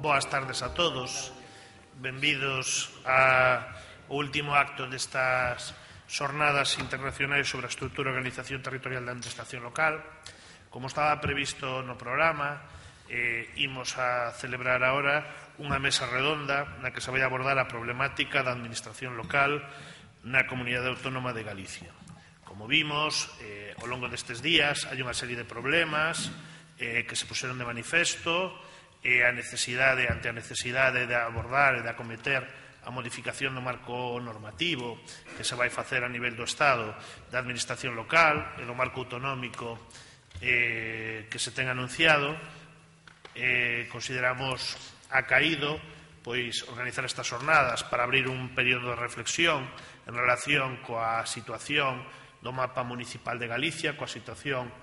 Boas tardes a todos. Benvidos ao último acto destas xornadas internacionais sobre a estrutura e organización territorial da administración local. Como estaba previsto no programa, imos a celebrar agora unha mesa redonda na que se vai abordar a problemática da administración local na Comunidade Autónoma de Galicia. Como vimos, ao longo destes días hai unha serie de problemas que se puseron de manifesto ante a necesidade de abordar e de acometer a modificación do marco normativo que se vai facer a nivel do Estado da administración local e do marco autonómico que se ten anunciado. Consideramos acaído organizar estas jornadas para abrir un período de reflexión en relación coa situación do mapa municipal de Galicia, coa situación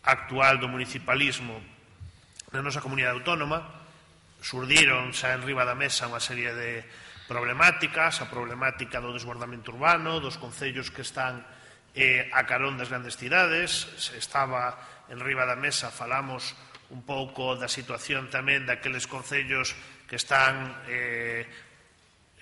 actual do municipalismo na nosa comunidade autónoma. Surdiron xa en riba da mesa unha serie de problemáticas, a problemática do desbordamento urbano, dos concellos que están a carón das grandes cidades. Estaba en riba da mesa, falamos un pouco da situación tamén daqueles concellos que están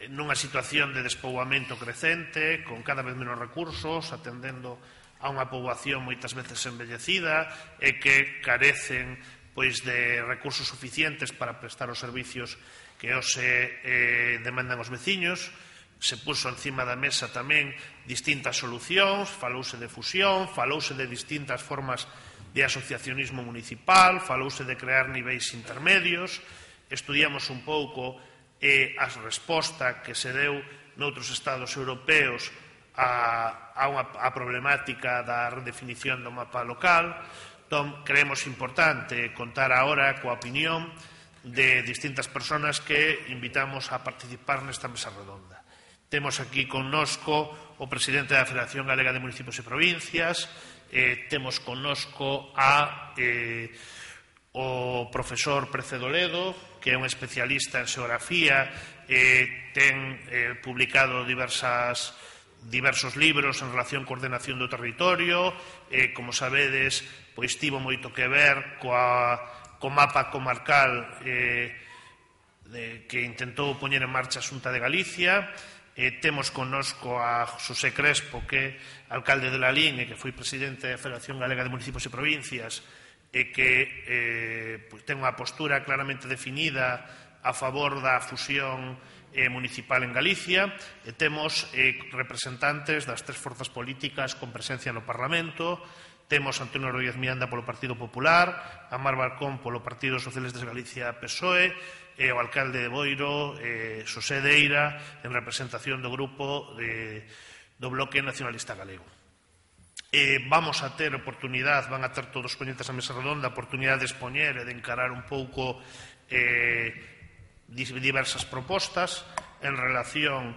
nunha situación de despoboamento crecente, con cada vez menos recursos, atendendo a unha poboación moitas veces envellecida e que carecen de recursos suficientes para prestar os servicios que hoxe demandan os veciños. Se puso encima da mesa tamén distintas solucións, falouse de fusión, falouse de distintas formas de asociacionismo municipal, falouse de crear niveis intermedios. Estudiamos un pouco a resposta que se deu noutros estados europeos a problemática da redefinición do mapa local. Entón, creemos importante contar agora coa opinión de distintas persoas que invitamos a participar nesta mesa redonda. Temos aquí connosco o presidente da Federación Galega de Municipios e Provincias, temos connosco o profesor Precedo Ledo, que é un especialista en xeografía, ten publicado diversos libros en relación coa ordenación do territorio. Como sabedes, tivo moito que ver co mapa comarcal que intentou poñer en marcha a Xunta de Galicia. Temos connosco a Xosé Crespo, que é alcalde de Lalín e que foi presidente da Federación Galega de Municipios e Provincias, e que ten unha postura claramente definida a favor da fusión municipal en Galicia. E temos representantes das tres forzas políticas con presencia no Parlamento. Temos a Antonio Rodríguez Miranda polo Partido Popular, a Mar Barcón polo Partido Socialista de Galicia PSOE, e o alcalde de Boiro, Xosé Deira, en representación do grupo do Bloque Nacionalista Galego. Vamos a ter oportunidade, van a ter todos os ponentes a mesa redonda, a oportunidade de expoñer e de encarar un pouco diversas propostas en relación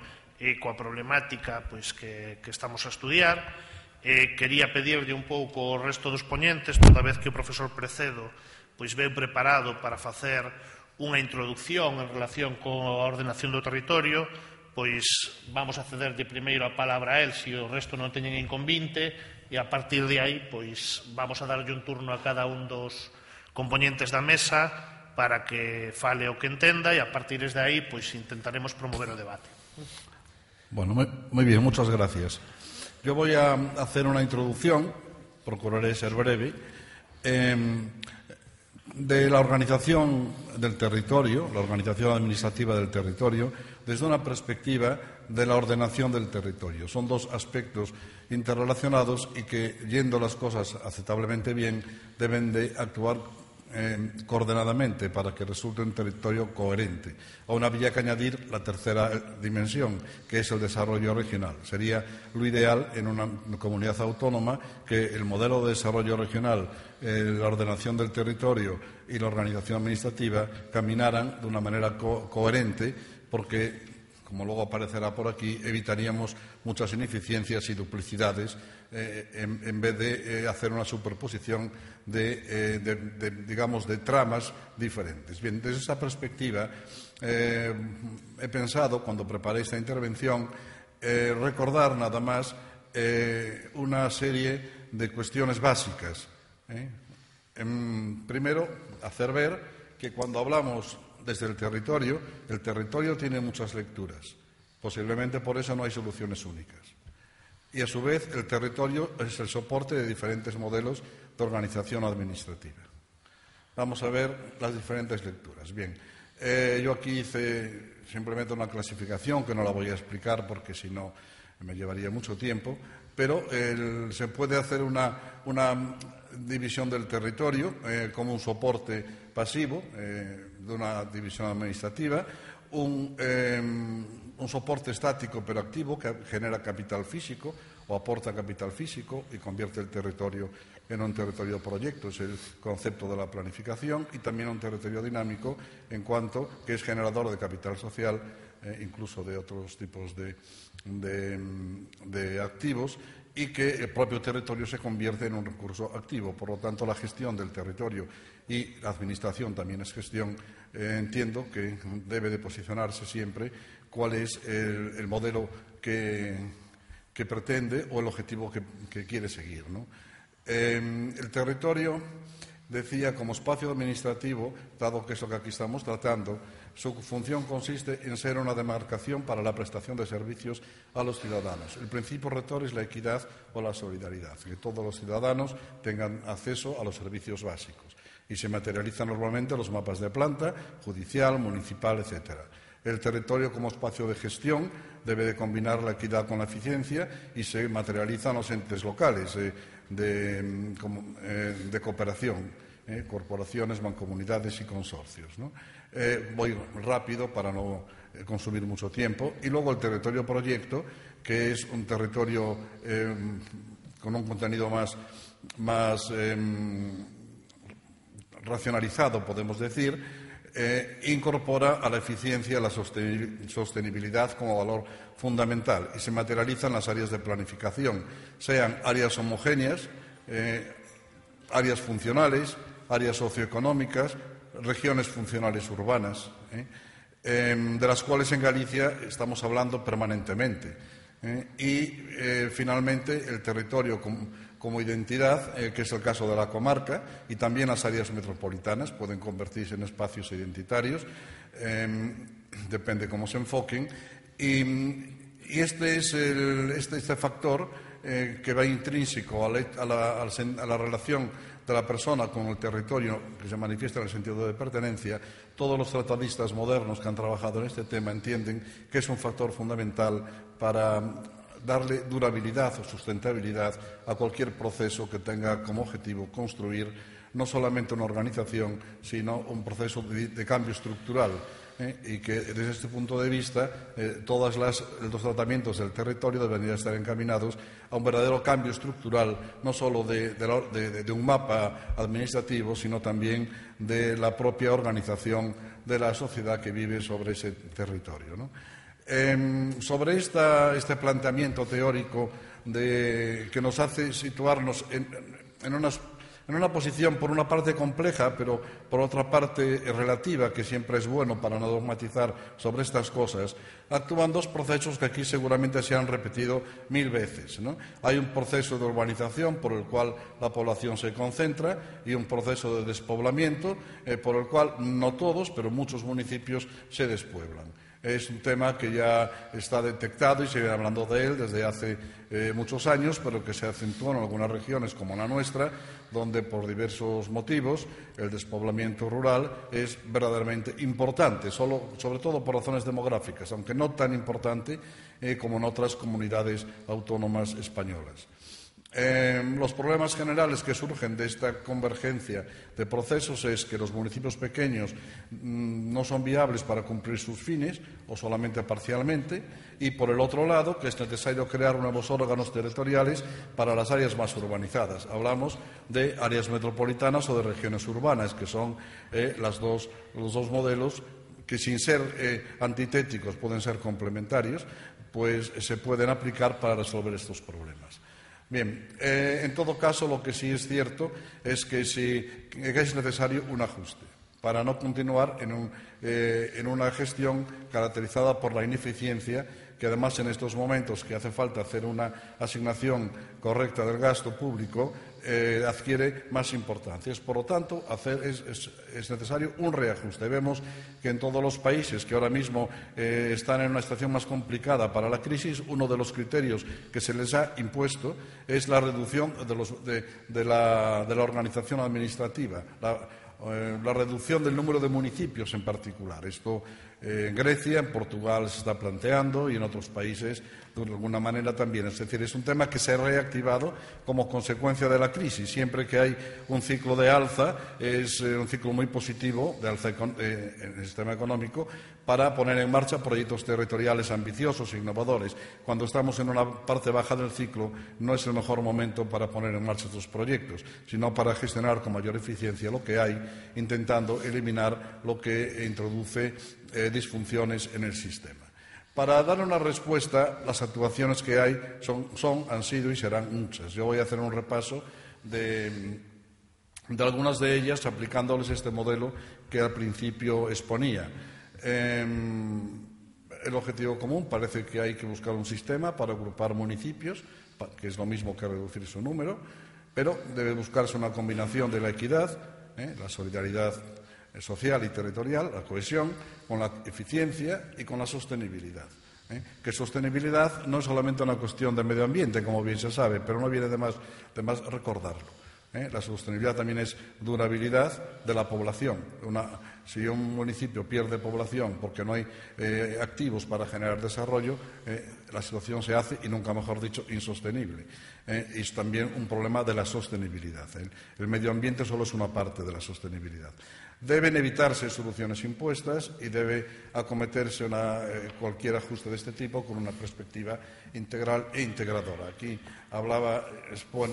coa problemática que estamos a estudiar. Quería pedirlle un pouco ao resto dos poñentes, toda vez que o profesor Precedo veu preparado para facer unha introducción en relación coa ordenación do territorio, vamos a cederlle primeiro a palabra a él, se o resto non teñen inconvinte, e a partir de aí vamos a darlle un turno a cada un dos componentes da mesa para que fale o que entenda, e a partir de aí intentaremos promover o debate. Bueno, muy bien, muchas gracias. Yo voy a hacer una introducción, procuraré ser breve, de la organización del territorio, la organización administrativa del territorio, desde una perspectiva de la ordenación del territorio. Son dos aspectos interrelacionados y que, yendo las cosas aceptablemente bien, deben de actuar coordenadamente para que resulte un territorio coherente. Aún habría que añadir la tercera dimensión, que es el desarrollo regional. Sería lo ideal en una comunidad autónoma que el modelo de desarrollo regional, la ordenación del territorio y la organización administrativa caminaran de una manera coherente, porque, como luego aparecerá por aquí, evitaríamos muchas ineficiencias y duplicidades en vez de hacer una superposición de tramas diferentes. Bien, desde esa perspectiva he pensado, cuando preparé esta intervención, recordar nada más una serie de cuestiones básicas. Primero, hacer ver que cuando hablamos desde el territorio tiene muchas lecturas. Posiblemente por eso no hay soluciones únicas. Y a su vez el territorio es el soporte de diferentes modelos de organización administrativa. Vamos a ver las diferentes lecturas. Bien, yo aquí hice simplemente una clasificación que no la voy a explicar porque si no me llevaría mucho tiempo, pero se puede hacer una división del territorio como un soporte pasivo de una división administrativa, un soporte estático pero activo que genera capital físico o aporta capital físico y convierte el territorio en un territorio proyecto, es el concepto de la planificación, y también un territorio dinámico en cuanto que es generador de capital social, incluso de otros tipos de activos, y que el propio territorio se convierte en un recurso activo. Por lo tanto, la gestión del territorio y la administración también es gestión. Entiendo que debe de posicionarse siempre cuál es el modelo que pretende o el objetivo que quiere seguir, ¿no? El territorio, decía, como espacio administrativo, dado que es lo que aquí estamos tratando, su función consiste en ser una demarcación para la prestación de servicios a los ciudadanos. El principio rector es la equidad o la solidaridad, que todos los ciudadanos tengan acceso a los servicios básicos, y se materializan normalmente los mapas de planta, judicial, municipal, etcétera. El territorio como espacio de gestión debe de combinar la equidad con la eficiencia y se materializan los entes locales de cooperación, corporaciones, mancomunidades y consorcios, ¿no? Voy rápido para no consumir mucho tiempo. Y luego el territorio proyecto, que es un territorio con un contenido más racionalizado, podemos decir, incorpora a la eficiencia la sostenibilidad como valor fundamental y se materializa en las áreas de planificación, sean áreas homogéneas, áreas funcionales, áreas socioeconómicas, regiones funcionales urbanas, de las cuales en Galicia estamos hablando permanentemente. Finalmente, el territorio como identidad, que es el caso de la comarca, y también las áreas metropolitanas pueden convertirse en espacios identitarios, depende cómo se enfoquen, y este es este factor que va intrínseco a la relación de la persona con el territorio, que se manifiesta en el sentido de pertenencia. Todos los tratadistas modernos que han trabajado en este tema entienden que es un factor fundamental para darle durabilidad o sustentabilidad a cualquier proceso que tenga como objetivo construir no solamente una organización, sino un proceso de cambio estructural, y que desde este punto de vista todos los tratamientos del territorio deberían estar encaminados a un verdadero cambio estructural, no solo de un mapa administrativo, sino también de la propia organización de la sociedad que vive sobre ese territorio, ¿no? Sobre este planteamiento teórico que nos hace situarnos en una posición, por una parte compleja, pero por otra parte relativa, que siempre es bueno para no dogmatizar sobre estas cosas, actúan dos procesos que aquí seguramente se han repetido 1000 veces, ¿no? Hay un proceso de urbanización por el cual la población se concentra y un proceso de despoblamiento por el cual no todos, pero muchos municipios se despueblan. Es un tema que ya está detectado y se viene hablando de él desde hace muchos años, pero que se acentuó en algunas regiones como la nuestra, donde por diversos motivos el despoblamiento rural es verdaderamente importante, sobre todo por razones demográficas, aunque no tan importante como en otras comunidades autónomas españolas. Los problemas generales que surgen de esta convergencia de procesos es que los municipios pequeños no son viables para cumplir sus fines o solamente parcialmente, y por el otro lado que es necesario crear nuevos órganos territoriales para las áreas más urbanizadas. Hablamos de áreas metropolitanas o de regiones urbanas, que son los dos modelos que, sin ser antitéticos, pueden ser complementarios, pues se pueden aplicar para resolver estos problemas. Bien, en todo caso, lo que sí es cierto es que es necesario un ajuste. para no continuar en una gestión caracterizada por la ineficiencia, que además en estos momentos que hace falta hacer una asignación correcta del gasto público, adquiere más importancia. Por lo tanto, es necesario un reajuste. Vemos que en todos los países que ahora mismo están en una situación más complicada para la crisis, uno de los criterios que se les ha impuesto es la reducción de la organización administrativa, la reducción del número de municipios en particular. Esto en Grecia, en Portugal se está planteando y en otros países de alguna manera también. Es decir, es un tema que se ha reactivado como consecuencia de la crisis. Siempre que hay un ciclo de alza, es un ciclo muy positivo de alza en el sistema económico para poner en marcha proyectos territoriales ambiciosos e innovadores. Cuando estamos en una parte baja del ciclo, no es el mejor momento para poner en marcha estos proyectos, sino para gestionar con mayor eficiencia lo que hay, intentando eliminar lo que introduce disfunciones en el sistema. Para dar una respuesta, las actuaciones que hay han sido y serán muchas. Yo voy a hacer un repaso de algunas de ellas aplicándoles este modelo que al principio exponía. El objetivo común parece que hay que buscar un sistema para agrupar municipios, que es lo mismo que reducir su número, pero debe buscarse una combinación de la equidad, la solidaridad social y territorial, la cohesión, con la eficiencia y con la sostenibilidad. Que sostenibilidad no es solamente una cuestión de medio ambiente, como bien se sabe, pero no viene de más recordarlo. La sostenibilidad también es durabilidad de la población. Si un municipio pierde población porque no hay activos para generar desarrollo, la situación se hace, y nunca mejor dicho, insostenible. Y es también un problema de la sostenibilidad. El medio ambiente solo es una parte de la sostenibilidad. Deben evitarse soluciones impuestas y debe acometerse cualquier ajuste de este tipo con una perspectiva integral e integradora. Aquí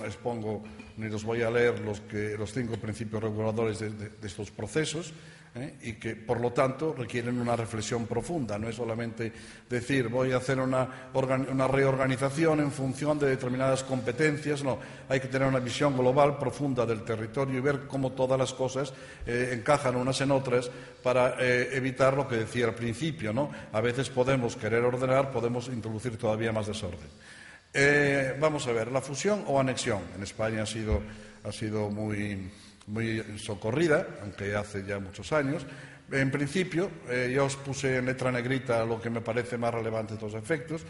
expongo, ni los voy a leer, los 5 principios reguladores de estos procesos, y que, por lo tanto, requieren una reflexión profunda. No es solamente decir voy a hacer una reorganización en función de determinadas competencias. No, hay que tener una visión global, profunda del territorio y ver cómo todas las cosas encajan unas en otras para evitar lo que decía al principio, ¿no? A veces podemos querer ordenar, podemos introducir todavía más desorden. Vamos a ver, la fusión o anexión. En España ha sido muy socorrida, aunque hace ya muchos años. En principio, yo os puse en letra negrita lo que me parece más relevante de estos efectos.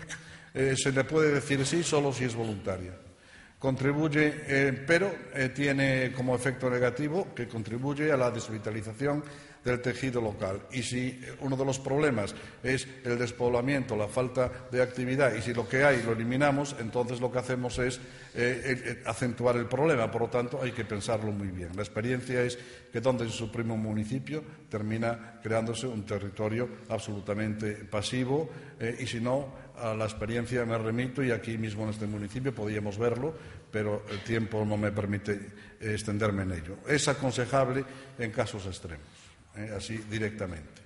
Se le puede decir sí solo si es voluntaria. Contribuye, pero tiene como efecto negativo que contribuye a la desvitalización del tejido local. Y si uno de los problemas es el despoblamiento, la falta de actividad, y si lo que hay lo eliminamos, entonces lo que hacemos es acentuar el problema. Por lo tanto, hay que pensarlo muy bien. La experiencia es que donde se suprime un municipio termina creándose un territorio absolutamente pasivo, y si no, a la experiencia me remito, y aquí mismo en este municipio podíamos verlo, pero el tiempo no me permite extenderme en ello. Es aconsejable en casos extremos, así directamente.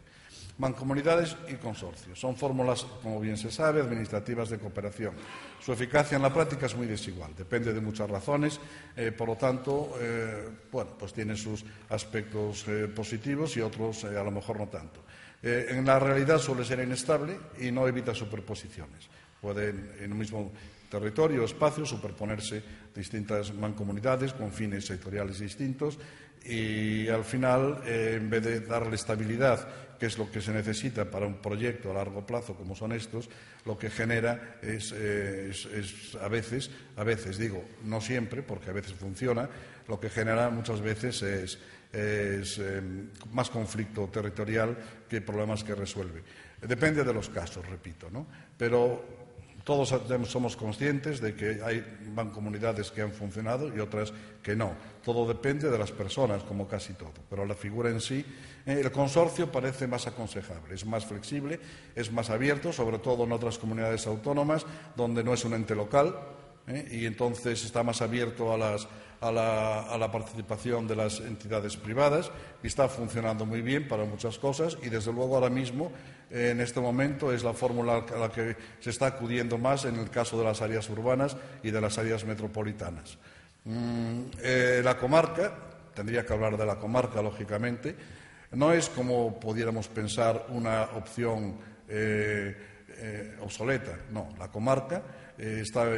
Mancomunidades y consorcios son fórmulas, como bien se sabe, administrativas de cooperación. Su eficacia en la práctica es muy desigual, depende de muchas razones, por lo tanto, pues tiene sus aspectos positivos y otros a lo mejor no tanto. En la realidad suele ser inestable y no evita superposiciones. Pueden en un mismo territorio o espacio superponerse distintas mancomunidades con fines sectoriales distintos, y al final, en vez de darle estabilidad, que es lo que se necesita para un proyecto a largo plazo como son estos, lo que genera es a veces digo, no siempre, porque a veces funciona, lo que genera muchas veces es más conflicto territorial que problemas que resuelve. Depende de los casos, repito, ¿no? Pero todos somos conscientes de que hay mancomunidades que han funcionado y otras que no. Todo depende de las personas, como casi todo. Pero la figura en sí, el consorcio parece más aconsejable, es más flexible, es más abierto, sobre todo en otras comunidades autónomas, donde no es un ente local, y entonces está más abierto a la participación de las entidades privadas, y está funcionando muy bien para muchas cosas, y desde luego ahora mismo, en este momento, es la fórmula a la que se está acudiendo más en el caso de las áreas urbanas y de las áreas metropolitanas. La comarca, tendría que hablar de la comarca, lógicamente. No es, como pudiéramos pensar, una opción obsoleta. No, la comarca está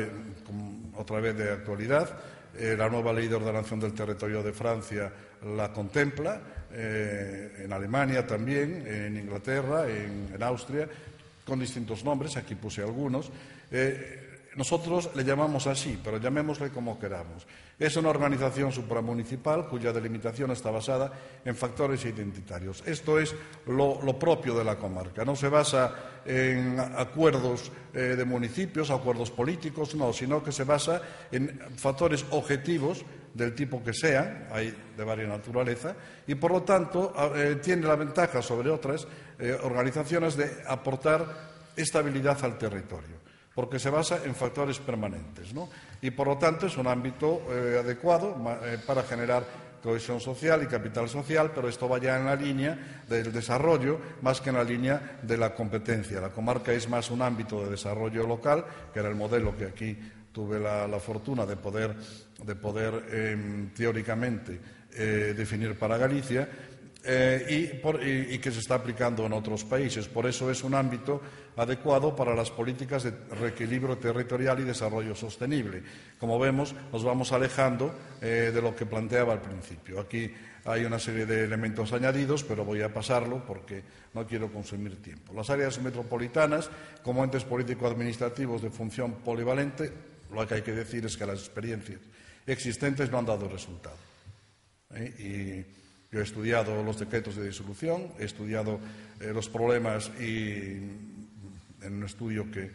otra vez de actualidad. La nueva ley de ordenación del territorio de Francia la contempla, en Alemania también, en Inglaterra, en Austria, con distintos nombres, aquí puse algunos. Nosotros le llamamos así, pero llamémosle como queramos. Es una organización supramunicipal cuya delimitación está basada en factores identitarios. Esto es lo propio de la comarca. No se basa en acuerdos de municipios, acuerdos políticos, no, sino que se basa en factores objetivos del tipo que sean, hay de varias naturaleza, y por lo tanto tiene la ventaja sobre otras organizaciones de aportar estabilidad al territorio, porque se basa en factores permanentes, ¿no? Y por lo tanto es un ámbito adecuado para generar cohesión social y capital social, pero esto va ya en la línea del desarrollo más que en la línea de la competencia. La comarca es más un ámbito de desarrollo local, que era el modelo que aquí tuve la fortuna de poder teóricamente definir para Galicia, y que se está aplicando en otros países. Por eso es un ámbito adecuado para las políticas de reequilibrio territorial y desarrollo sostenible. Como vemos, nos vamos alejando de lo que planteaba al principio. Aquí hay una serie de elementos añadidos, pero voy a pasarlo porque no quiero consumir tiempo. Las áreas metropolitanas, como entes político-administrativos de función polivalente, lo que hay que decir es que las experiencias existentes no han dado resultado. Yo he estudiado los decretos de disolución, he estudiado los problemas en un estudio que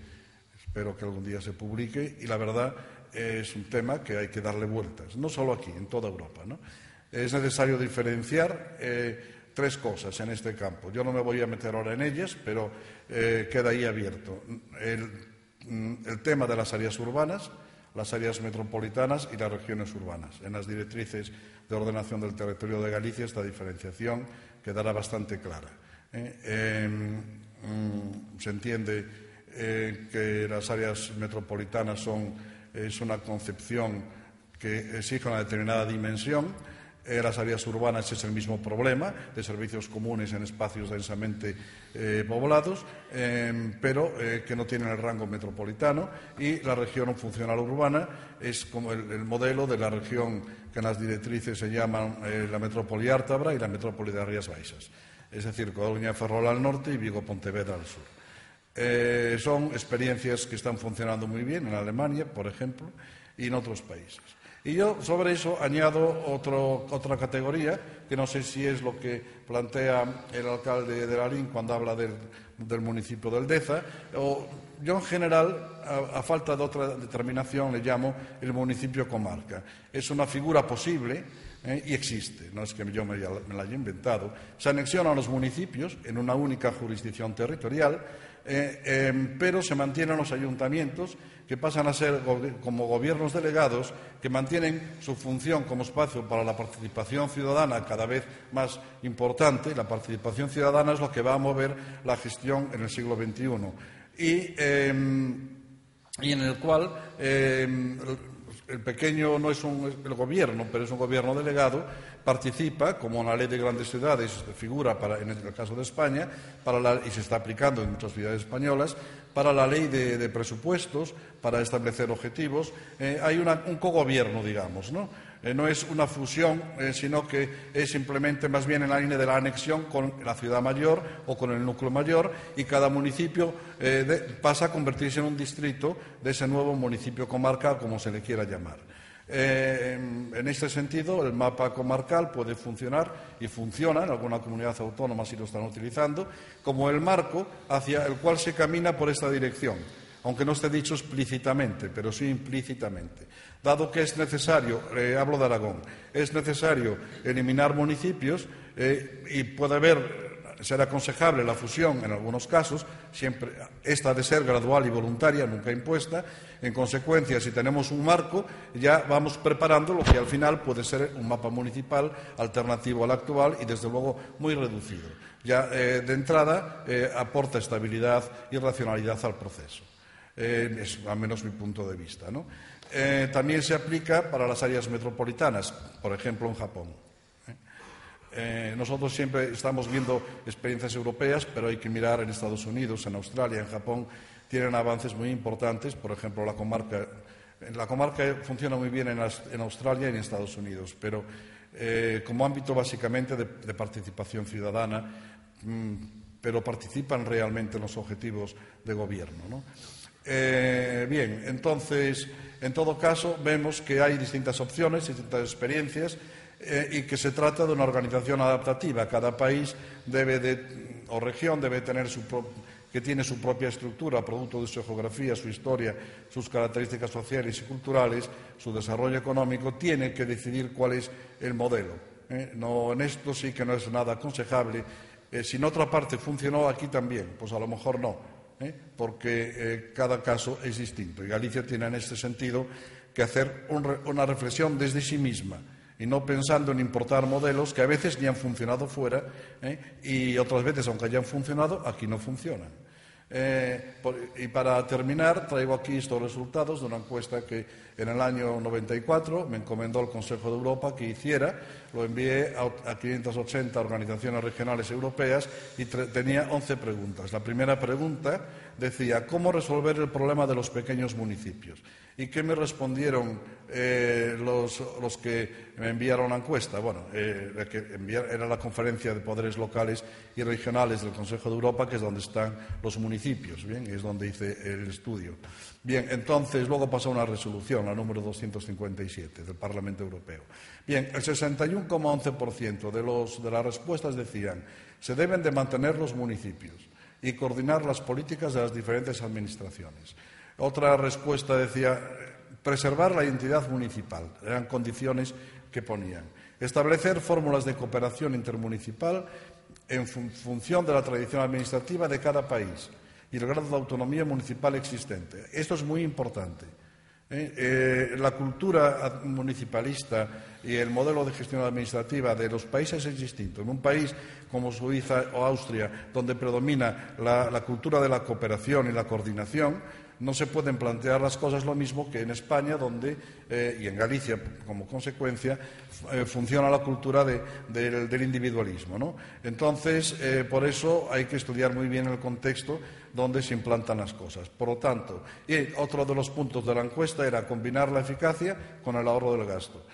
espero que algún día se publique, y la verdad es un tema que hay que darle vueltas, no solo aquí, en toda Europa, ¿no? Es necesario diferenciar tres cosas en este campo. Yo no me voy a meter ahora en ellas, pero queda ahí abierto. El tema de las áreas urbanas, las áreas metropolitanas y las regiones urbanas. En las directrices de ordenación del territorio de Galicia esta diferenciación quedará bastante clara. Se entiende que las áreas metropolitanas es una concepción que exige una determinada dimensión. Las áreas urbanas es el mismo problema, de servicios comunes en espacios densamente poblados, pero que no tienen el rango metropolitano, y la región funcional urbana es como el modelo de la región que en las directrices se llaman la metrópoli ártabra y la metrópoli de Rías Baixas, es decir, Coruña, Ferrol al norte y Vigo-Pontevedra al sur. Son experiencias que están funcionando muy bien en Alemania, por ejemplo, y en otros países. Y yo sobre eso añado otra categoría, que no sé si es lo que plantea el alcalde de Lalín cuando habla del municipio del Deza, o yo en general, a falta de otra determinación, le llamo el municipio comarca. Es una figura posible y existe, no es que yo me la haya inventado. Se anexionan los municipios en una única jurisdicción territorial, pero se mantienen los ayuntamientos, que pasan a ser como gobiernos delegados, que mantienen su función como espacio para la participación ciudadana cada vez más importante. La participación ciudadana es lo que va a mover la gestión en el siglo XXI y en el cual el pequeño no es el gobierno, pero es un gobierno delegado, participa, como en la ley de grandes ciudades figura en el caso de España, y se está aplicando en muchas ciudades españolas, para la ley de presupuestos, para establecer objetivos. Hay un cogobierno, digamos, ¿no? No es una fusión, sino que es simplemente más bien en la línea de la anexión con la ciudad mayor o con el núcleo mayor, y cada municipio pasa a convertirse en un distrito de ese nuevo municipio comarcal, como se le quiera llamar. En este sentido, el mapa comarcal puede funcionar, y funciona en alguna comunidad autónoma si lo están utilizando, como el marco hacia el cual se camina por esta dirección, aunque no esté dicho explícitamente, pero sí implícitamente. Dado que es necesario, hablo de Aragón, es necesario eliminar municipios y ser aconsejable la fusión en algunos casos, siempre esta ha de ser gradual y voluntaria, nunca impuesta. En consecuencia, si tenemos un marco, ya vamos preparando lo que al final puede ser un mapa municipal alternativo al actual y, desde luego, muy reducido. Ya de entrada aporta estabilidad y racionalidad al proceso. Es al menos mi punto de vista, ¿no? También se aplica para las áreas metropolitanas, por ejemplo en Japón. nosotros siempre estamos viendo experiencias europeas, pero hay que mirar en Estados Unidos, en Australia, en Japón, tienen avances muy importantes. Por ejemplo, la comarca funciona muy bien en Australia y en Estados Unidos, pero como ámbito básicamente de participación ciudadana, pero participan realmente en los objetivos de gobierno, ¿no? Bien, entonces, en todo caso, vemos que hay distintas opciones, distintas experiencias, y que se trata de una organización adaptativa. Cada país o región debe tener que tiene su propia estructura, producto de su geografía, su historia, sus características sociales y culturales, su desarrollo económico, tiene que decidir cuál es el modelo. No, en esto sí que no es nada aconsejable. Si en otra parte funcionó, aquí también, pues a lo mejor no, porque cada caso es distinto. Y Galicia tiene en este sentido que hacer una reflexión desde sí misma y no pensando en importar modelos que a veces ni han funcionado fuera y otras veces, aunque hayan funcionado, aquí no funcionan. Y para terminar, traigo aquí estos resultados de una encuesta que en el año 94 me encomendó el Consejo de Europa que hiciera. Lo envié a 580 organizaciones regionales europeas y tenía 11 preguntas. La primera pregunta decía: ¿cómo resolver el problema de los pequeños municipios? ¿Y qué me respondieron los que me enviaron la encuesta? Bueno, era la Conferencia de Poderes Locales y Regionales del Consejo de Europa, que es donde están los municipios, ¿bien? Es donde hice el estudio. Bien, entonces luego pasó una resolución, la número 257 del Parlamento Europeo. Bien, el 61,11% de las respuestas decían: se deben de mantener los municipios y coordinar las políticas de las diferentes administraciones. Otra respuesta decía: preservar la identidad municipal. Eran condiciones que ponían. Establecer fórmulas de cooperación intermunicipal en función de la tradición administrativa de cada país y el grado de autonomía municipal existente. Esto es muy importante. La cultura municipalista y el modelo de gestión administrativa de los países es distinto. En un país como Suiza o Austria, donde predomina la cultura de la cooperación y la coordinación, no se pueden plantear las cosas lo mismo que en España, donde, y en Galicia como consecuencia, funciona la cultura del individualismo, ¿no? Entonces, por eso hay que estudiar muy bien el contexto donde se implantan las cosas. Por lo tanto, y otro de los puntos de la encuesta era combinar la eficacia con el ahorro del gasto,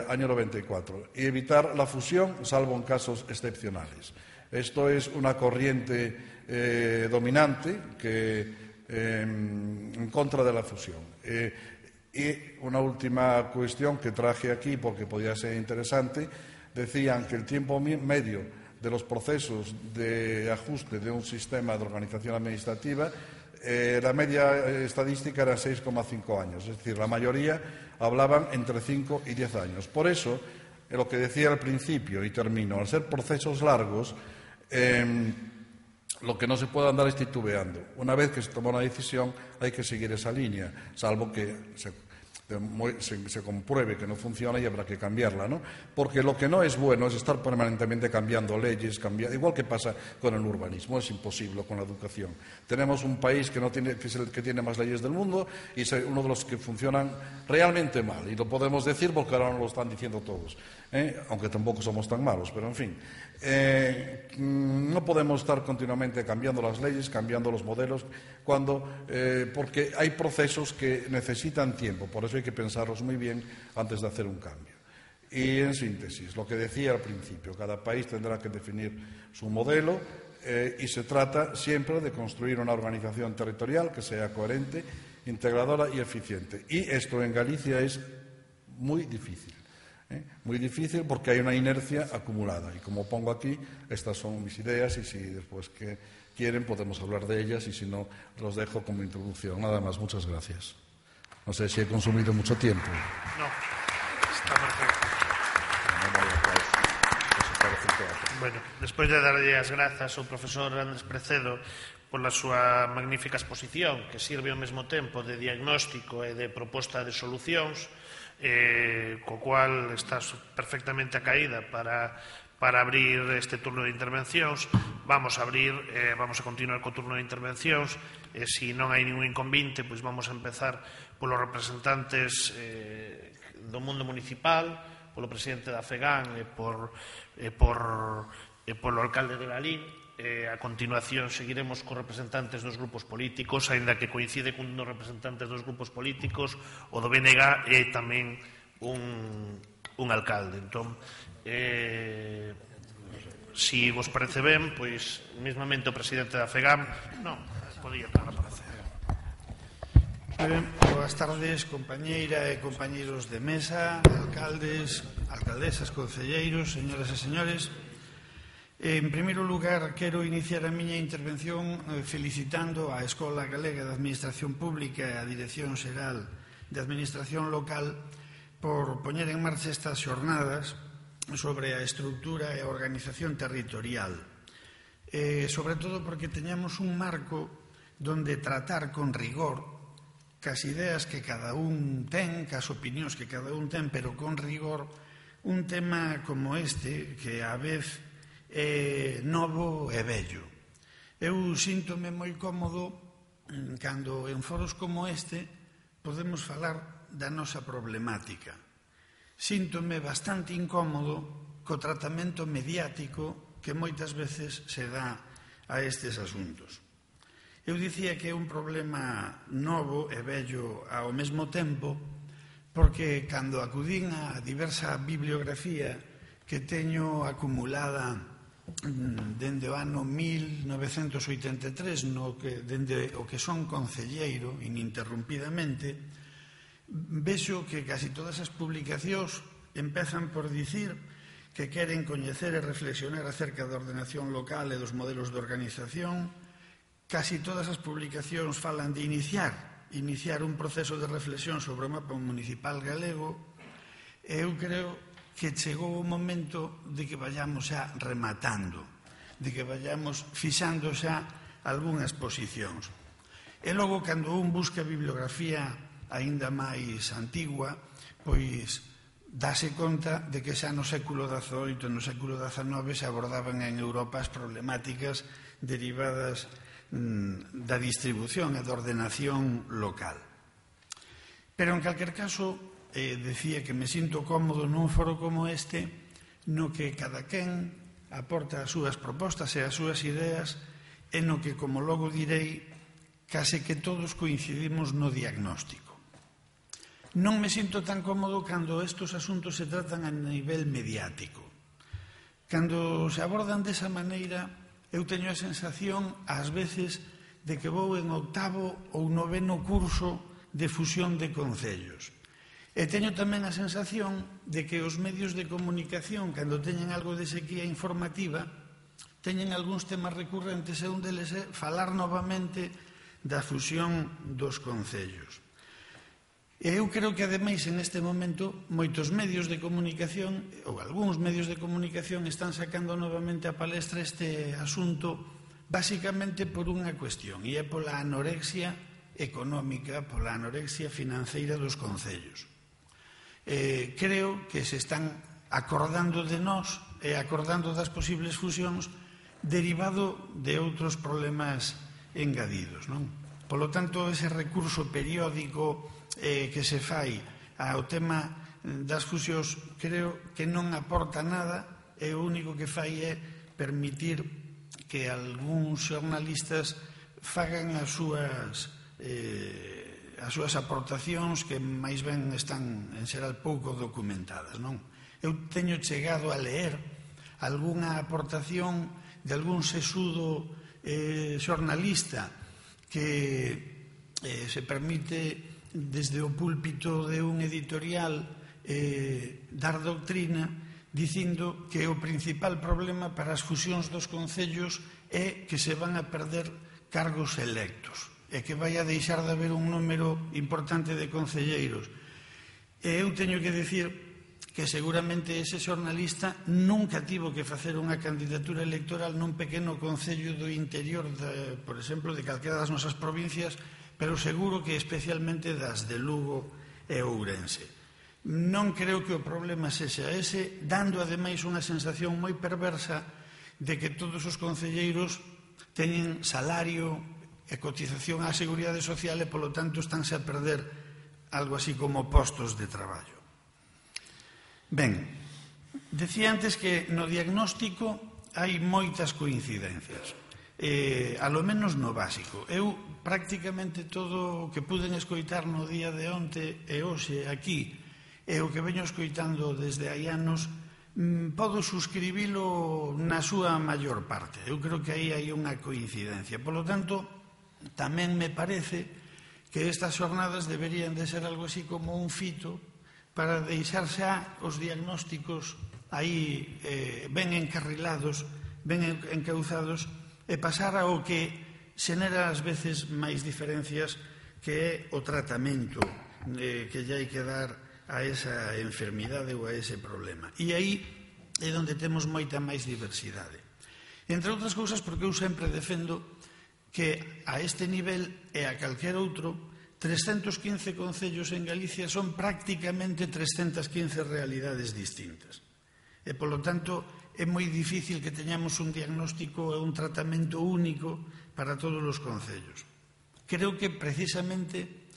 año 94, y evitar la fusión, salvo en casos excepcionales. Esto es una corriente dominante en contra de la fusión. Y una última cuestión que traje aquí porque podía ser interesante: decían que el tiempo medio de los procesos de ajuste de un sistema de organización administrativa, la media estadística era 6,5 años, es decir, la mayoría hablaban entre 5 y 10 años. Por eso, lo que decía al principio, y termino, al ser procesos largos, lo que no se puede andar es titubeando. Una vez que se toma una decisión, hay que seguir esa línea, salvo que se compruebe que no funciona y habrá que cambiarla, ¿no? Porque lo que no es bueno es estar permanentemente cambiando leyes, igual que pasa con el urbanismo, es imposible con la educación. Tenemos un país que es el que tiene más leyes del mundo y es uno de los que funcionan realmente mal, y lo podemos decir porque ahora no lo están diciendo todos, aunque tampoco somos tan malos, pero en fin. No podemos estar continuamente cambiando las leyes, cambiando los modelos, porque hay procesos que necesitan tiempo. Por eso hay que pensarlos muy bien antes de hacer un cambio. Y en síntesis, lo que decía al principio, cada país tendrá que definir su modelo y se trata siempre de construir una organización territorial que sea coherente, integradora y eficiente. Y esto en Galicia es muy difícil. Muy difícil porque hay una inercia acumulada. Y como pongo aquí, estas son mis ideas y si después que quieren podemos hablar de ellas y si no, los dejo como introducción. Nada más, muchas gracias. No sé si he consumido mucho tiempo. No, está perfecto. Bueno, despois de darlle as grazas ao profesor Andrés Precedo pola súa magnífica exposición, que sirve ao mesmo tempo de diagnóstico e de proposta de solucións, co cual estás perfectamente acaída para abrir este turno de intervencións. Vamos a continuar co turno de intervencións, e se non hai ningún inconvinte, pois vamos a empezar polos representantes do mundo municipal, polo presidente da FEGAN e polo alcalde de Lalín. A continuación seguiremos con representantes dos grupos políticos, aínda que coincide cun dos representantes dos grupos políticos, o do BNG e tamén un alcalde. Entón, si vos parece ben, pois, mesmamente o presidente da FEGAM, non, podía estar a aparecer. Boas tardes, compañeira e compañeiros de mesa, alcaldes, alcaldesas, concelleiros, señoras e señores. En primeiro lugar, quero iniciar a miña intervención felicitando a Escola Galega de Administración Pública e a Dirección Xeral de Administración Local por poñer en marcha estas xornadas sobre a estrutura e a organización territorial. Sobre todo porque teñamos un marco donde tratar con rigor cas ideas que cada un ten, cas opinións que cada un ten, pero con rigor, un tema como este, que a vez é novo e vello. Eu síntome moi cómodo cando en foros como este podemos falar da nosa problemática. Síntome bastante incómodo co tratamento mediático que moitas veces se dá a estes asuntos. Eu dicía que é un problema novo e vello ao mesmo tempo porque cando acudín a diversa bibliografía que teño acumulada dende o ano 1983, dende o que son concelleiro ininterrumpidamente, vexo que casi todas as publicacións empezan por dicir que queren coñecer e reflexionar acerca da ordenación local e dos modelos de organización. Casi todas as publicacións falan de iniciar un proceso de reflexión sobre o mapa municipal galego. Eu creo que chegou o momento de que vayamos xa rematando, de que vayamos fixando xa algunhas posicións. E logo, cando un busca bibliografía aínda máis antigua, pois dáse conta de que xa no século XVIII e no século XIX se abordaban en Europa as problemáticas derivadas da distribución e da ordenación local. Pero, en calquer caso, decía que me sinto cómodo nun foro como este no que cada quen aporta as súas propostas e as súas ideas e no que, como logo direi, case que todos coincidimos no diagnóstico. Non me sinto tan cómodo cando estes asuntos se tratan a nivel mediático. Cando se abordan desa maneira, eu teño a sensación, ás veces, de que vou en 8º ou 9º curso de fusión de concellos. E teño tamén a sensación de que os medios de comunicación, cando teñen algo de sequía informativa, teñen algúns temas recurrentes e un deles é falar novamente da fusión dos concellos. E eu creo que, ademais, en este momento, moitos medios de comunicación, ou algúns medios de comunicación, están sacando novamente a palestra este asunto basicamente por unha cuestión, e é pola anorexia económica, pola anorexia financeira dos concellos. Creo que se están acordando de nós e acordando das posibles fusións derivado de outros problemas engadidos, non? Polo tanto, ese recurso periódico que se fai ao tema das fusións creo que non aporta nada e o único que fai é permitir que algúns xornalistas fagan as súas aportacións que máis ben están en xeral pouco documentadas, non? Eu teño chegado a leer algunha aportación de algún sesudo xornalista que se permite desde o púlpito de un editorial dar doutrina dicindo que o principal problema para as fusións dos concellos é que se van a perder cargos electos e que vai a deixar de haber un número importante de concelleiros. E eu teño que dicir que seguramente ese xornalista nunca tivo que facer unha candidatura electoral nun pequeno concello do interior, por exemplo, de calquera das nosas provincias, pero seguro que especialmente das de Lugo e Ourense. Non creo que o problema sexa ese, dando ademais unha sensación moi perversa de que todos os concelleiros teñen salario e cotización á Seguridade Social e, polo tanto, estánse a perder algo así como postos de traballo. Ben, decía antes que no diagnóstico hai moitas coincidencias, a lo menos no básico. Eu prácticamente todo o que puden escoitar no día de onte e hoxe aquí e o que veño escoitando desde hai anos podo suscribilo na súa maior parte. Eu creo que aí hai unha coincidencia. Por lo tanto, tamén me parece que estas xornadas deberían de ser algo así como un fito para deixar xa os diagnósticos aí ben encarrilados, ben encauzados, e pasar ao que xenera ás veces máis diferencias, que é o tratamento que lle hai que dar a esa enfermidade ou a ese problema. E aí é onde temos moita máis diversidade. Entre outras cousas porque eu sempre defendo que a este nivel e a calquer outro 315 concellos en Galicia son prácticamente 315 realidades distintas. E, polo tanto, é moi difícil que teñamos un diagnóstico e un tratamento único para todos os concellos. Creo que, precisamente,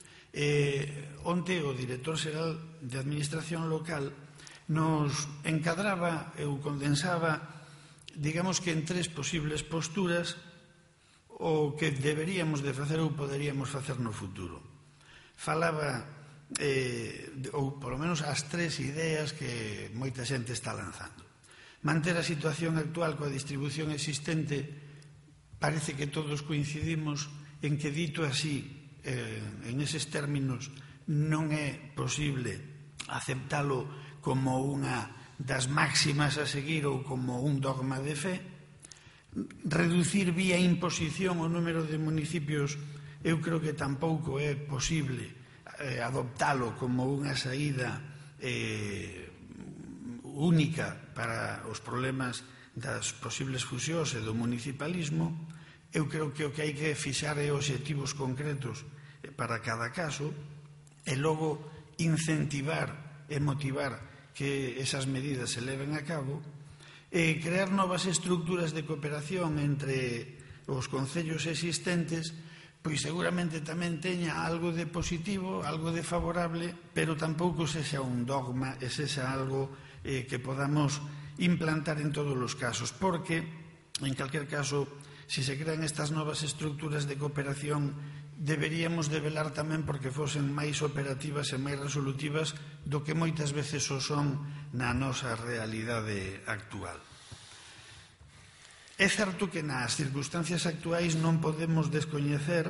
onte o director xeral de Administración Local nos encadraba ou condensaba, digamos que en 3 posibles posturas o que deberíamos de facer ou poderíamos facer no futuro. Falaba, ou polo menos as 3 ideas que moita xente está lanzando. Manter a situación actual coa distribución existente, parece que todos coincidimos en que, dito así, en eses términos, non é posible aceptalo como unha das máximas a seguir ou como un dogma de fe. Reducir vía imposición o número de municipios, eu creo que tampouco é posible adoptalo como unha saída única para os problemas das posibles fusións e do municipalismo. Eu creo que o que hai que fixar é obxectivos concretos para cada caso e logo incentivar e motivar que esas medidas se leven a cabo e crear novas estructuras de cooperación entre os concellos existentes, pois seguramente tamén teña algo de positivo, algo de favorable, pero tampouco sexa un dogma e sexa algo que podamos implantar en todos os casos, porque, en calquer caso, se se crean estas novas estructuras de cooperación, deberíamos de velar tamén porque fosen máis operativas e máis resolutivas do que moitas veces o son na nosa realidade actual. É certo que nas circunstancias actuais non podemos descoñecer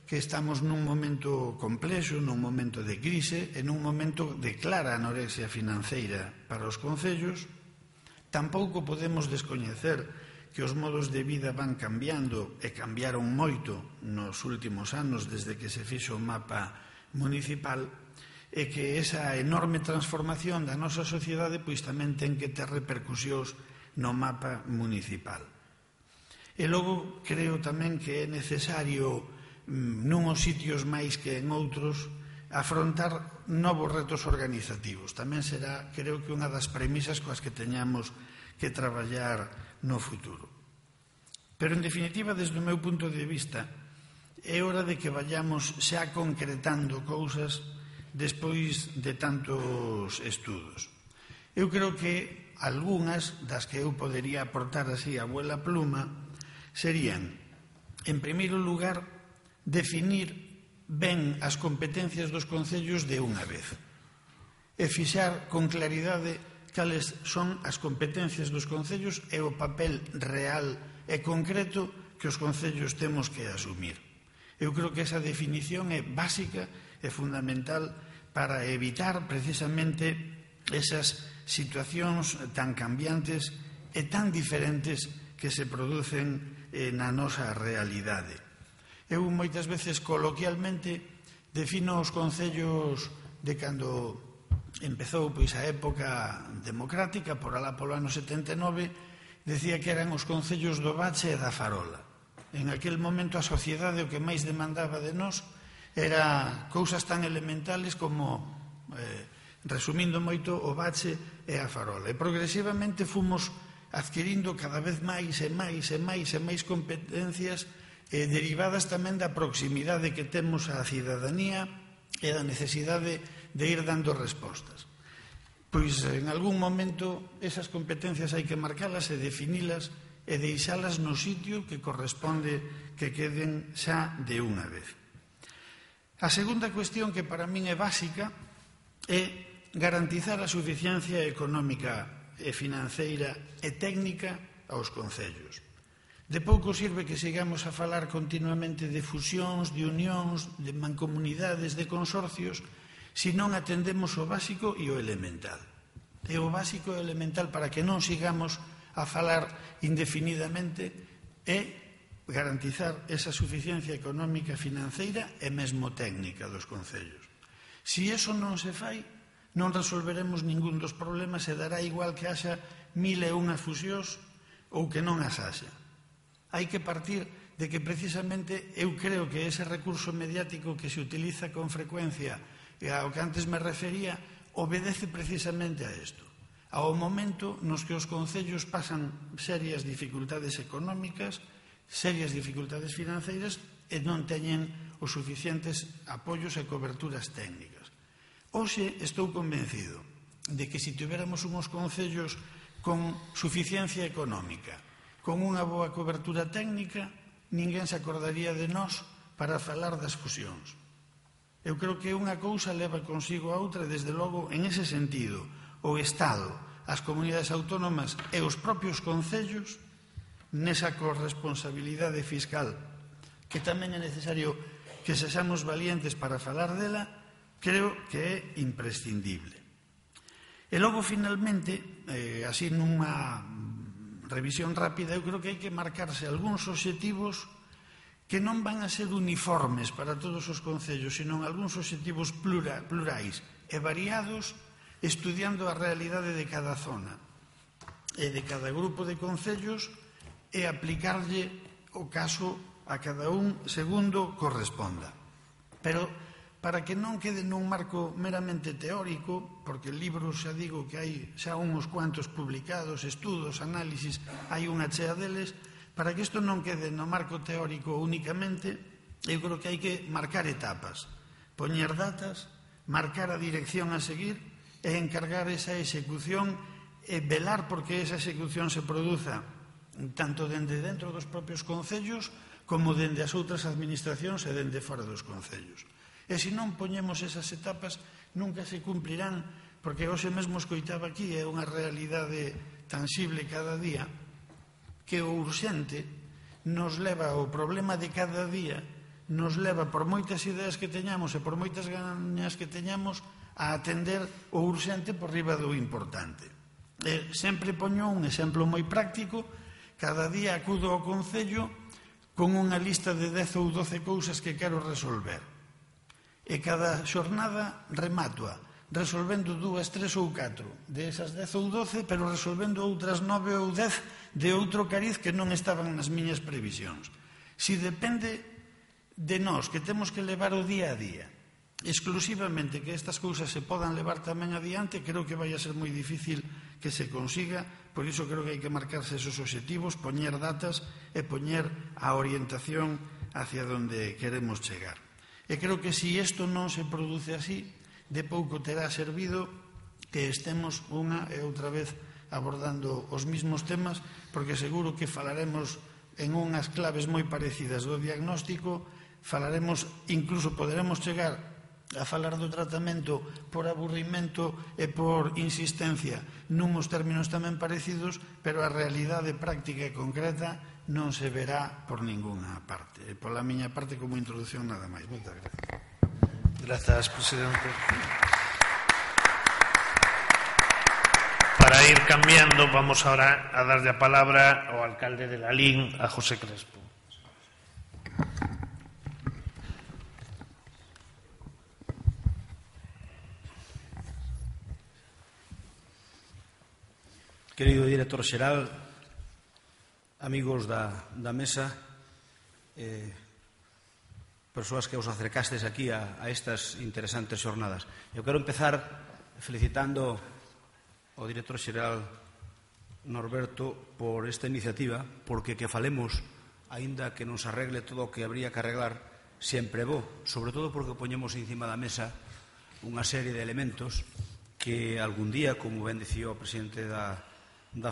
que estamos nun momento complexo, nun momento de crise e nun momento de clara anorexia financeira para os concellos. Tampouco podemos descoñecer que os modos de vida van cambiando e cambiaron moito nos últimos anos desde que se fixo o mapa municipal e que esa enorme transformación da nosa sociedade pois tamén ten que ter repercusións no mapa municipal. E logo creo tamén que é necesario nuns sitios máis que en outros afrontar novos retos organizativos. Tamén será, creo que, unha das premisas coas que teñamos que traballar no futuro. Pero, en definitiva, desde o meu punto de vista, é hora de que vayamos xa concretando cousas despois de tantos estudos. Eu creo que algunhas das que eu podería aportar así a vuela pluma serían, en primeiro lugar, definir ben as competencias dos concellos de unha vez e fixar con claridade cales son as competencias dos concellos e o papel real e concreto que os concellos temos que asumir. Eu creo que esa definición é básica e fundamental para evitar precisamente esas situacións tan cambiantes e tan diferentes que se producen na nosa realidade. Eu moitas veces coloquialmente defino os concellos de cando empezou pois a época democrática, por alá polo ano 79, decía que eran os concellos do Bache e da Farola. En aquel momento a sociedade o que máis demandaba de nós era cousas tan elementales como, resumindo moito, o Bache e a Farola. E progresivamente fomos adquirindo cada vez máis e máis e máis e máis competencias derivadas tamén da proximidade que temos á cidadanía e da necesidade de ir dando respostas. pois en algún momento esas competencias hai que marcalas e definilas e deixalas no sitio que corresponde que queden xa de unha vez. A segunda cuestión que para min é básica é garantizar a suficiencia económica e financeira e técnica aos concellos. De pouco sirve que sigamos a falar continuamente de fusións, de unións, de mancomunidades, de consorcios, se non atendemos o básico e o elemental. E o básico e o elemental para que non sigamos a falar indefinidamente é garantizar esa suficiencia económica, financeira e mesmo técnica dos concellos. Se iso non se fai, non resolveremos ningún dos problemas e dará igual que haxa 1001 fusións ou que non as haxa. Hai que partir de que precisamente eu creo que ese recurso mediático que se utiliza con frecuencia e ao que antes me refería obedece precisamente a isto. Ao momento nos que os concellos pasan serias dificultades económicas, serias dificultades financeiras e non teñen os suficientes apoios e coberturas técnicas. Hoxe estou convencido de que se tivéramos uns concellos con suficiencia económica, con unha boa cobertura técnica, ninguén se acordaría de nós para falar das fusións. Eu creo que unha cousa leva consigo a outra, desde logo, en ese sentido, o Estado, as comunidades autónomas e os propios concellos, nesa corresponsabilidade fiscal, que tamén é necesario que sexamos valientes para falar dela, creo que é imprescindible. E logo, finalmente, así nunha revisión rápida, eu creo que hai que marcarse algúns obxectivos que non van a ser uniformes para todos os concellos, sino algúns obxectivos plurais e variados, estudiando a realidade de cada zona e de cada grupo de concellos e aplicarlle o caso a cada un segundo corresponda. Pero para que non quede nun marco meramente teórico, porque libros xa digo que hai xa uns cuantos publicados, estudos, análisis, hai unha chea deles, para que isto non quede no marco teórico únicamente, eu creo que hai que marcar etapas, poñer datas, marcar a dirección a seguir e encargar esa execución e velar porque esa execución se produza tanto dende dentro dos propios concellos como dende as outras administracións e dende fora dos concellos. E se non poñemos esas etapas, nunca se cumplirán, porque hoxe mesmo escoitaba aquí, é unha realidade tangible cada día, que o urxente nos leva ao problema de cada día, nos leva por moitas ideas que teñamos e por moitas gañas que teñamos a atender o urxente por riba do importante. Sempre poño un exemplo moi práctico, cada día acudo ao concello con unha lista de 10 ou 12 cousas que quero resolver. E cada xornada remato-a, resolvendo 2, 3 ou 4 de esas 10 ou 12, pero resolvendo outras 9 ou 10 de outro cariz que non estaban nas miñas previsións. Si depende de nós, que temos que levar o día a día, exclusivamente que estas cousas se podan levar tamén adiante, creo que vai a ser moi difícil que se consiga, por iso creo que hai que marcarse esos obxectivos, poñer datas e poñer a orientación hacia onde queremos chegar. E creo que se isto non se produce así, de pouco terá servido que estemos unha e outra vez abordando os mismos temas, porque seguro que falaremos en unhas claves moi parecidas do diagnóstico, falaremos, incluso poderemos chegar a falar do tratamento por aburrimento e por insistencia nuns términos tamén parecidos, pero a realidade práctica e concreta non se verá por ninguna parte. E pola miña parte, como introducción, nada máis. Moitas gracias. Grazas, presidente. Para ir cambiando, vamos ahora a darle a palabra ao alcalde de Lalín, a José Crespo. Querido director xeral, amigos da mesa, persoas que os acercastes aquí a estas interesantes xornadas. Eu quero empezar felicitando ao director xeral Norberto por esta iniciativa, porque que falemos, aínda que nos arregle todo o que habría que arreglar, sempre é bo, sobre todo porque poñemos encima da mesa unha serie de elementos que algún día, como ben dicía o presidente da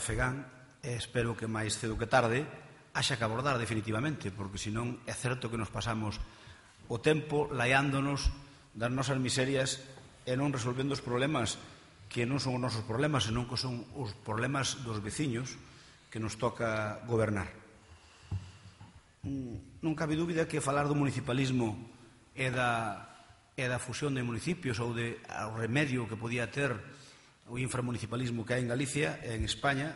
FEGAN, espero que máis cedo que tarde, haxa que abordar definitivamente, porque senón é certo que nos pasamos o tempo laiándonos das nosas miserias e non resolvendo os problemas que non son os nosos problemas, senón que son os problemas dos veciños que nos toca gobernar. Non cabe dúbida que falar do municipalismo e da fusión de municipios ou ao remedio que podía ter o inframunicipalismo que hai en Galicia e en España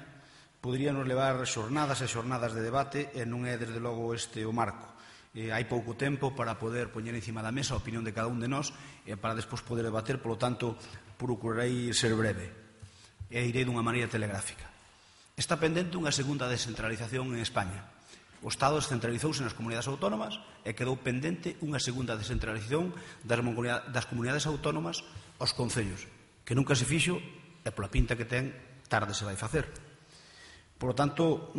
podría nos levar xornadas e xornadas de debate e non é desde logo este o marco. Hai pouco tempo para poder poñer encima da mesa a opinión de cada un de nós e para despois poder debater, polo tanto procurarei ser breve e irei dunha maneira telegráfica. Está pendente unha segunda descentralización en España. O Estado descentralizouse nas comunidades autónomas e quedou pendente unha segunda descentralización das comunidades autónomas aos concellos, que nunca se fixo e pola pinta que ten tarde se vai facer. Por lo tanto,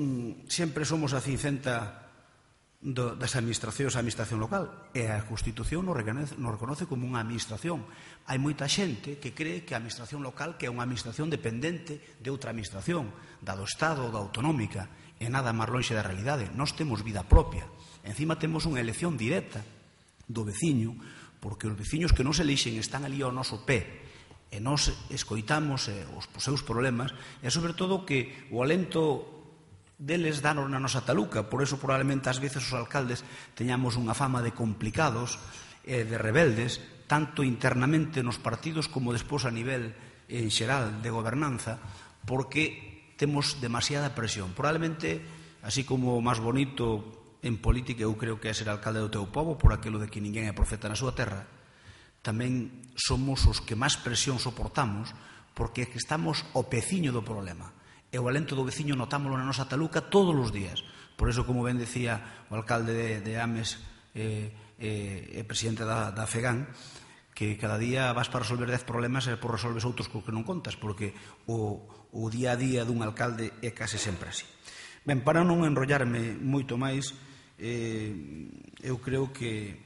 sempre somos a cincenta das administracións a administración local e a Constitución nos reconoce como unha administración. Hai moita xente que cree que a administración local que é unha administración dependente de outra administración, da do Estado ou da autonómica, e nada máis lonxe da realidade. Nós temos vida propia. Encima temos unha elección directa do veciño, porque os veciños que nos elixen están ali ao noso pé e nos escoitamos os seus problemas e, sobre todo, que o alento deles danos na nosa taluca. Por eso, probablemente, ás veces os alcaldes teñamos unha fama de complicados e de rebeldes, tanto internamente nos partidos como despois a nivel en xeral de gobernanza, porque temos demasiada presión. Probablemente, así como o máis bonito en política, eu creo que é ser alcalde do teu pobo, por aquilo de que ninguén é profeta na súa terra, tamén somos os que máis presión soportamos, porque estamos ao peciño do problema. E o alento do veciño notámoslo na nosa taluca todos os días. Por eso, como ben decía o alcalde de Ames e presidente da FEGAN, que cada día vas para resolver 10 problemas e por resolves outros co que non contas, porque o día a día dun alcalde é case sempre así. Ben, para non enrollarme moito máis, eu creo que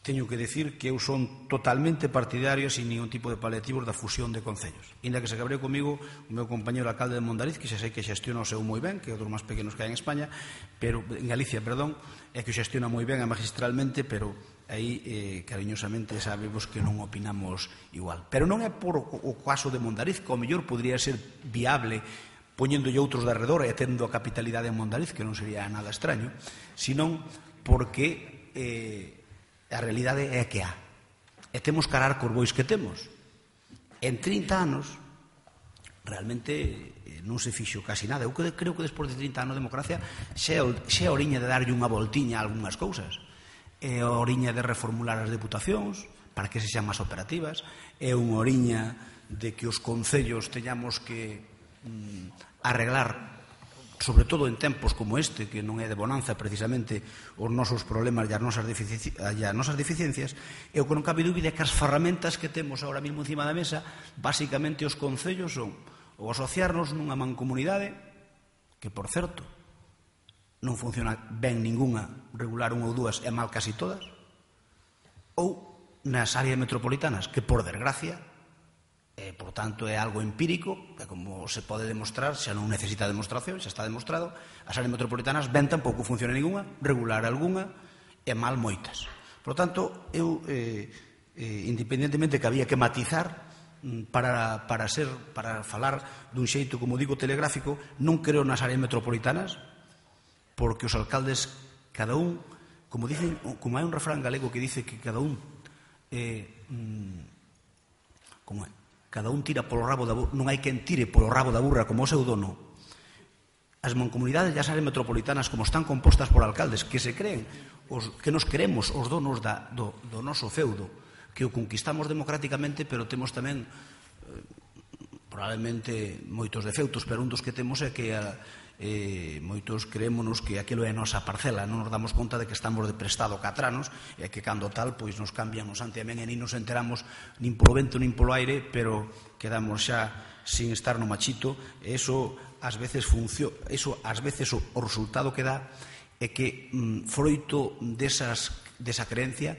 teño que decir que eu son totalmente partidario, sin ningún tipo de paliativos, da fusión de concellos. Inda que se cabreu comigo o meu compañero alcalde de Mondariz, que xa sei que xestiona o seu moi ben, que é outros máis pequenos que hai en España, pero en Galicia, perdón, é que o xestiona moi ben e magistralmente, pero aí cariñosamente sabemos que non opinamos igual. Pero non é por o caso de Mondariz, que ao mellor podría ser viable poñéndolle outros de arredor e tendo a capitalidade en Mondariz, que non sería nada extraño, senón porque a realidade é que há. E temos que arar cos bois que temos. En 30 anos, realmente non se fixo casi nada. Eu creo que despois de 30 anos de democracia xa é oriña de darlle unha voltiña a algunhas cousas. É oriña de reformular as deputacións para que se xan máis operativas. É unha oriña de que os concellos teñamos que arreglar, sobre todo en tempos como este, que non é de bonanza precisamente os nosos problemas e as nosas deficiencias, e o que non cabe dúbida é que as ferramentas que temos ahora mesmo encima da mesa, basicamente os concellos son ou asociarnos nunha mancomunidade, que por certo non funciona ben ninguna, regular unha ou dúas e mal casi todas, ou nas áreas metropolitanas, que por desgracia, por tanto é algo empírico, que como se pode demostrar, xa non necesita demostración, xa está demostrado, as áreas metropolitanas ben tampouco funciona ninguna, regular algunha e mal moitas. Por tanto, eu, independentemente que había que matizar para falar dun xeito, como digo, telegráfico, non creo nas áreas metropolitanas, porque os alcaldes, cada un, como hai un refrán galego que dice que cada un cada un tira polo rabo da burra, non hai quen tire polo rabo da burra como o seu dono. As mancomunidades e as áreas metropolitanas, como están compostas por alcaldes que se creen, que nos queremos os donos do noso feudo, que o conquistamos democráticamente, pero temos tamén probablemente moitos defeutos, pero un dos que temos é que moitos creémonos que aquilo é a nosa parcela, non nos damos conta de que estamos de prestado catranos e que cando tal pois nos cambian o santiamén e nin nos enteramos nin polo vento nin polo aire, pero quedamos xa sin estar no machito. E eso ás veces o resultado que dá é que froito desa creencia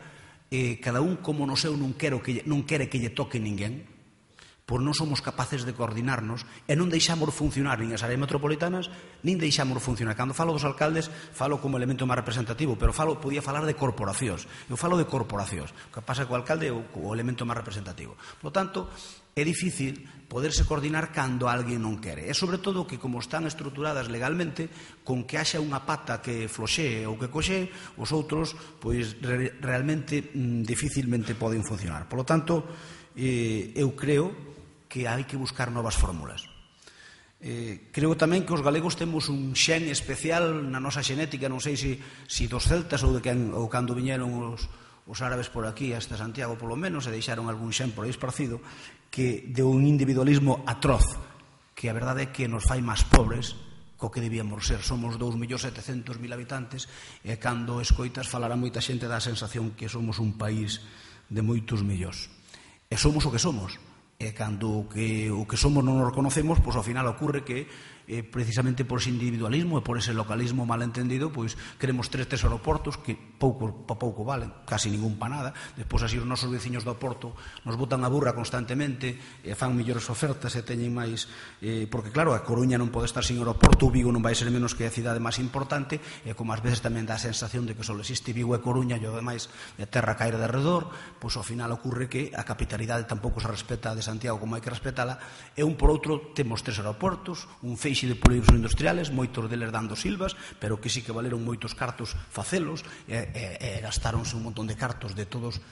cada un como no seu non quere que lle toque ninguén, pois non somos capaces de coordinarnos e non deixamos funcionar nin as áreas metropolitanas, nin deixamos funcionar. Cando falo dos alcaldes, falo como elemento máis representativo, pero podía falar de corporacións. Eu falo de corporacións. O que pasa co alcalde é o elemento máis representativo. Por lo tanto, é difícil poderse coordinar cando alguén non quere. E, sobre todo, que como están estruturadas legalmente, con que haxa unha pata que floxee ou que coxee, os outros, pois, realmente dificilmente poden funcionar. Por lo tanto, eu creo que hai que buscar novas fórmulas. Creo tamén que os galegos temos un xen especial na nosa xenética, non sei se dos celtas ou cando viñeron os árabes por aquí, hasta Santiago polo menos, e deixaron algún xen por aí esparcido, que de un individualismo atroz, que a verdade é que nos fai máis pobres co que debíamos ser. Somos 2.700.000 habitantes e cando escoitas falar a moita xente dá a sensación que somos un país de moitos millóns. E somos o que somos. E cando o que somos non nos reconocemos, pois ao final ocorre que precisamente por ese individualismo e por ese localismo malentendido, pois queremos tres aeroportos que pouco valen, casi ningún pa nada. Despois así os nosos veciños do Porto nos botan a burra constantemente e fan mellores ofertas e teñen máis, porque claro, a Coruña non pode estar sin aeroporto, o Vigo non vai ser menos que a cidade máis importante, e como ás veces tamén dá a sensación de que só existe Vigo e Coruña e o demais a terra caer de redor, pois ao final ocorre que a capitalidade tampouco se respeta de Santiago como hai que respetala, e un por outro temos tres aeroportos, un feixe de polígonos industriales, moitos deles dando silvas, pero que sí que valeron moitos cartos facelos, e gastáronse un montón de cartos de todos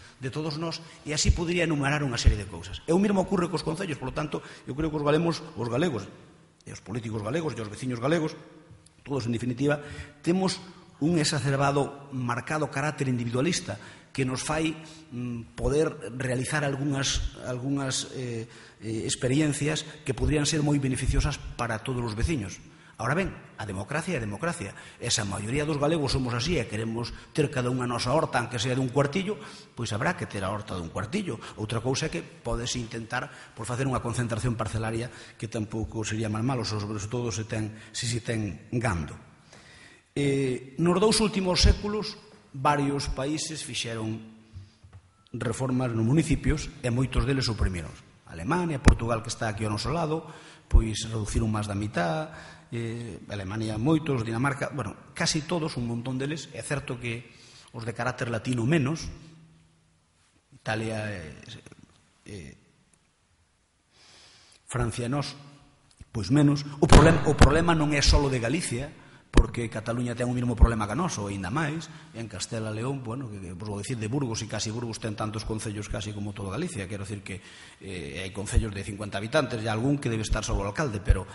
nós, e así podría enumerar unha serie de cousas. E o mesmo ocorre cos concellos, por lo tanto, eu creo que os galegos, e os políticos galegos, e os veciños galegos, todos en definitiva, temos un exacerbado, marcado carácter individualista que nos fai poder realizar algunhas experiencias que podrían ser moi beneficiosas para todos os veciños. Ahora ben, a democracia é democracia. Esa maioría dos galegos somos así e queremos ter cada unha nosa horta, aunque sea dun cuartillo, pois habrá que ter a horta dun cuartillo. Outra cousa é que podes intentar por facer unha concentración parcelaria que tampouco sería mal malo, sobre todo se ten gando. Nos dous últimos séculos, varios países fixeron reformas nos municipios e moitos deles suprimiron. Alemania, Portugal, que está aquí ao noso lado, pois reduciron máis da mitad, Alemania moitos, Dinamarca, bueno, casi todos, un montón deles. É certo que os de carácter latino menos, Italia, Francia e nós, pois menos. O problema non é só de Galicia, porque Cataluña ten o mesmo problema que nós, ou ainda máis, en Castela e León, bueno, que vos vou dicir de Burgos, e casi Burgos ten tantos concellos casi como toda Galicia, quero dicir que hai concellos de 50 habitantes, e algún que debe estar só o alcalde, pero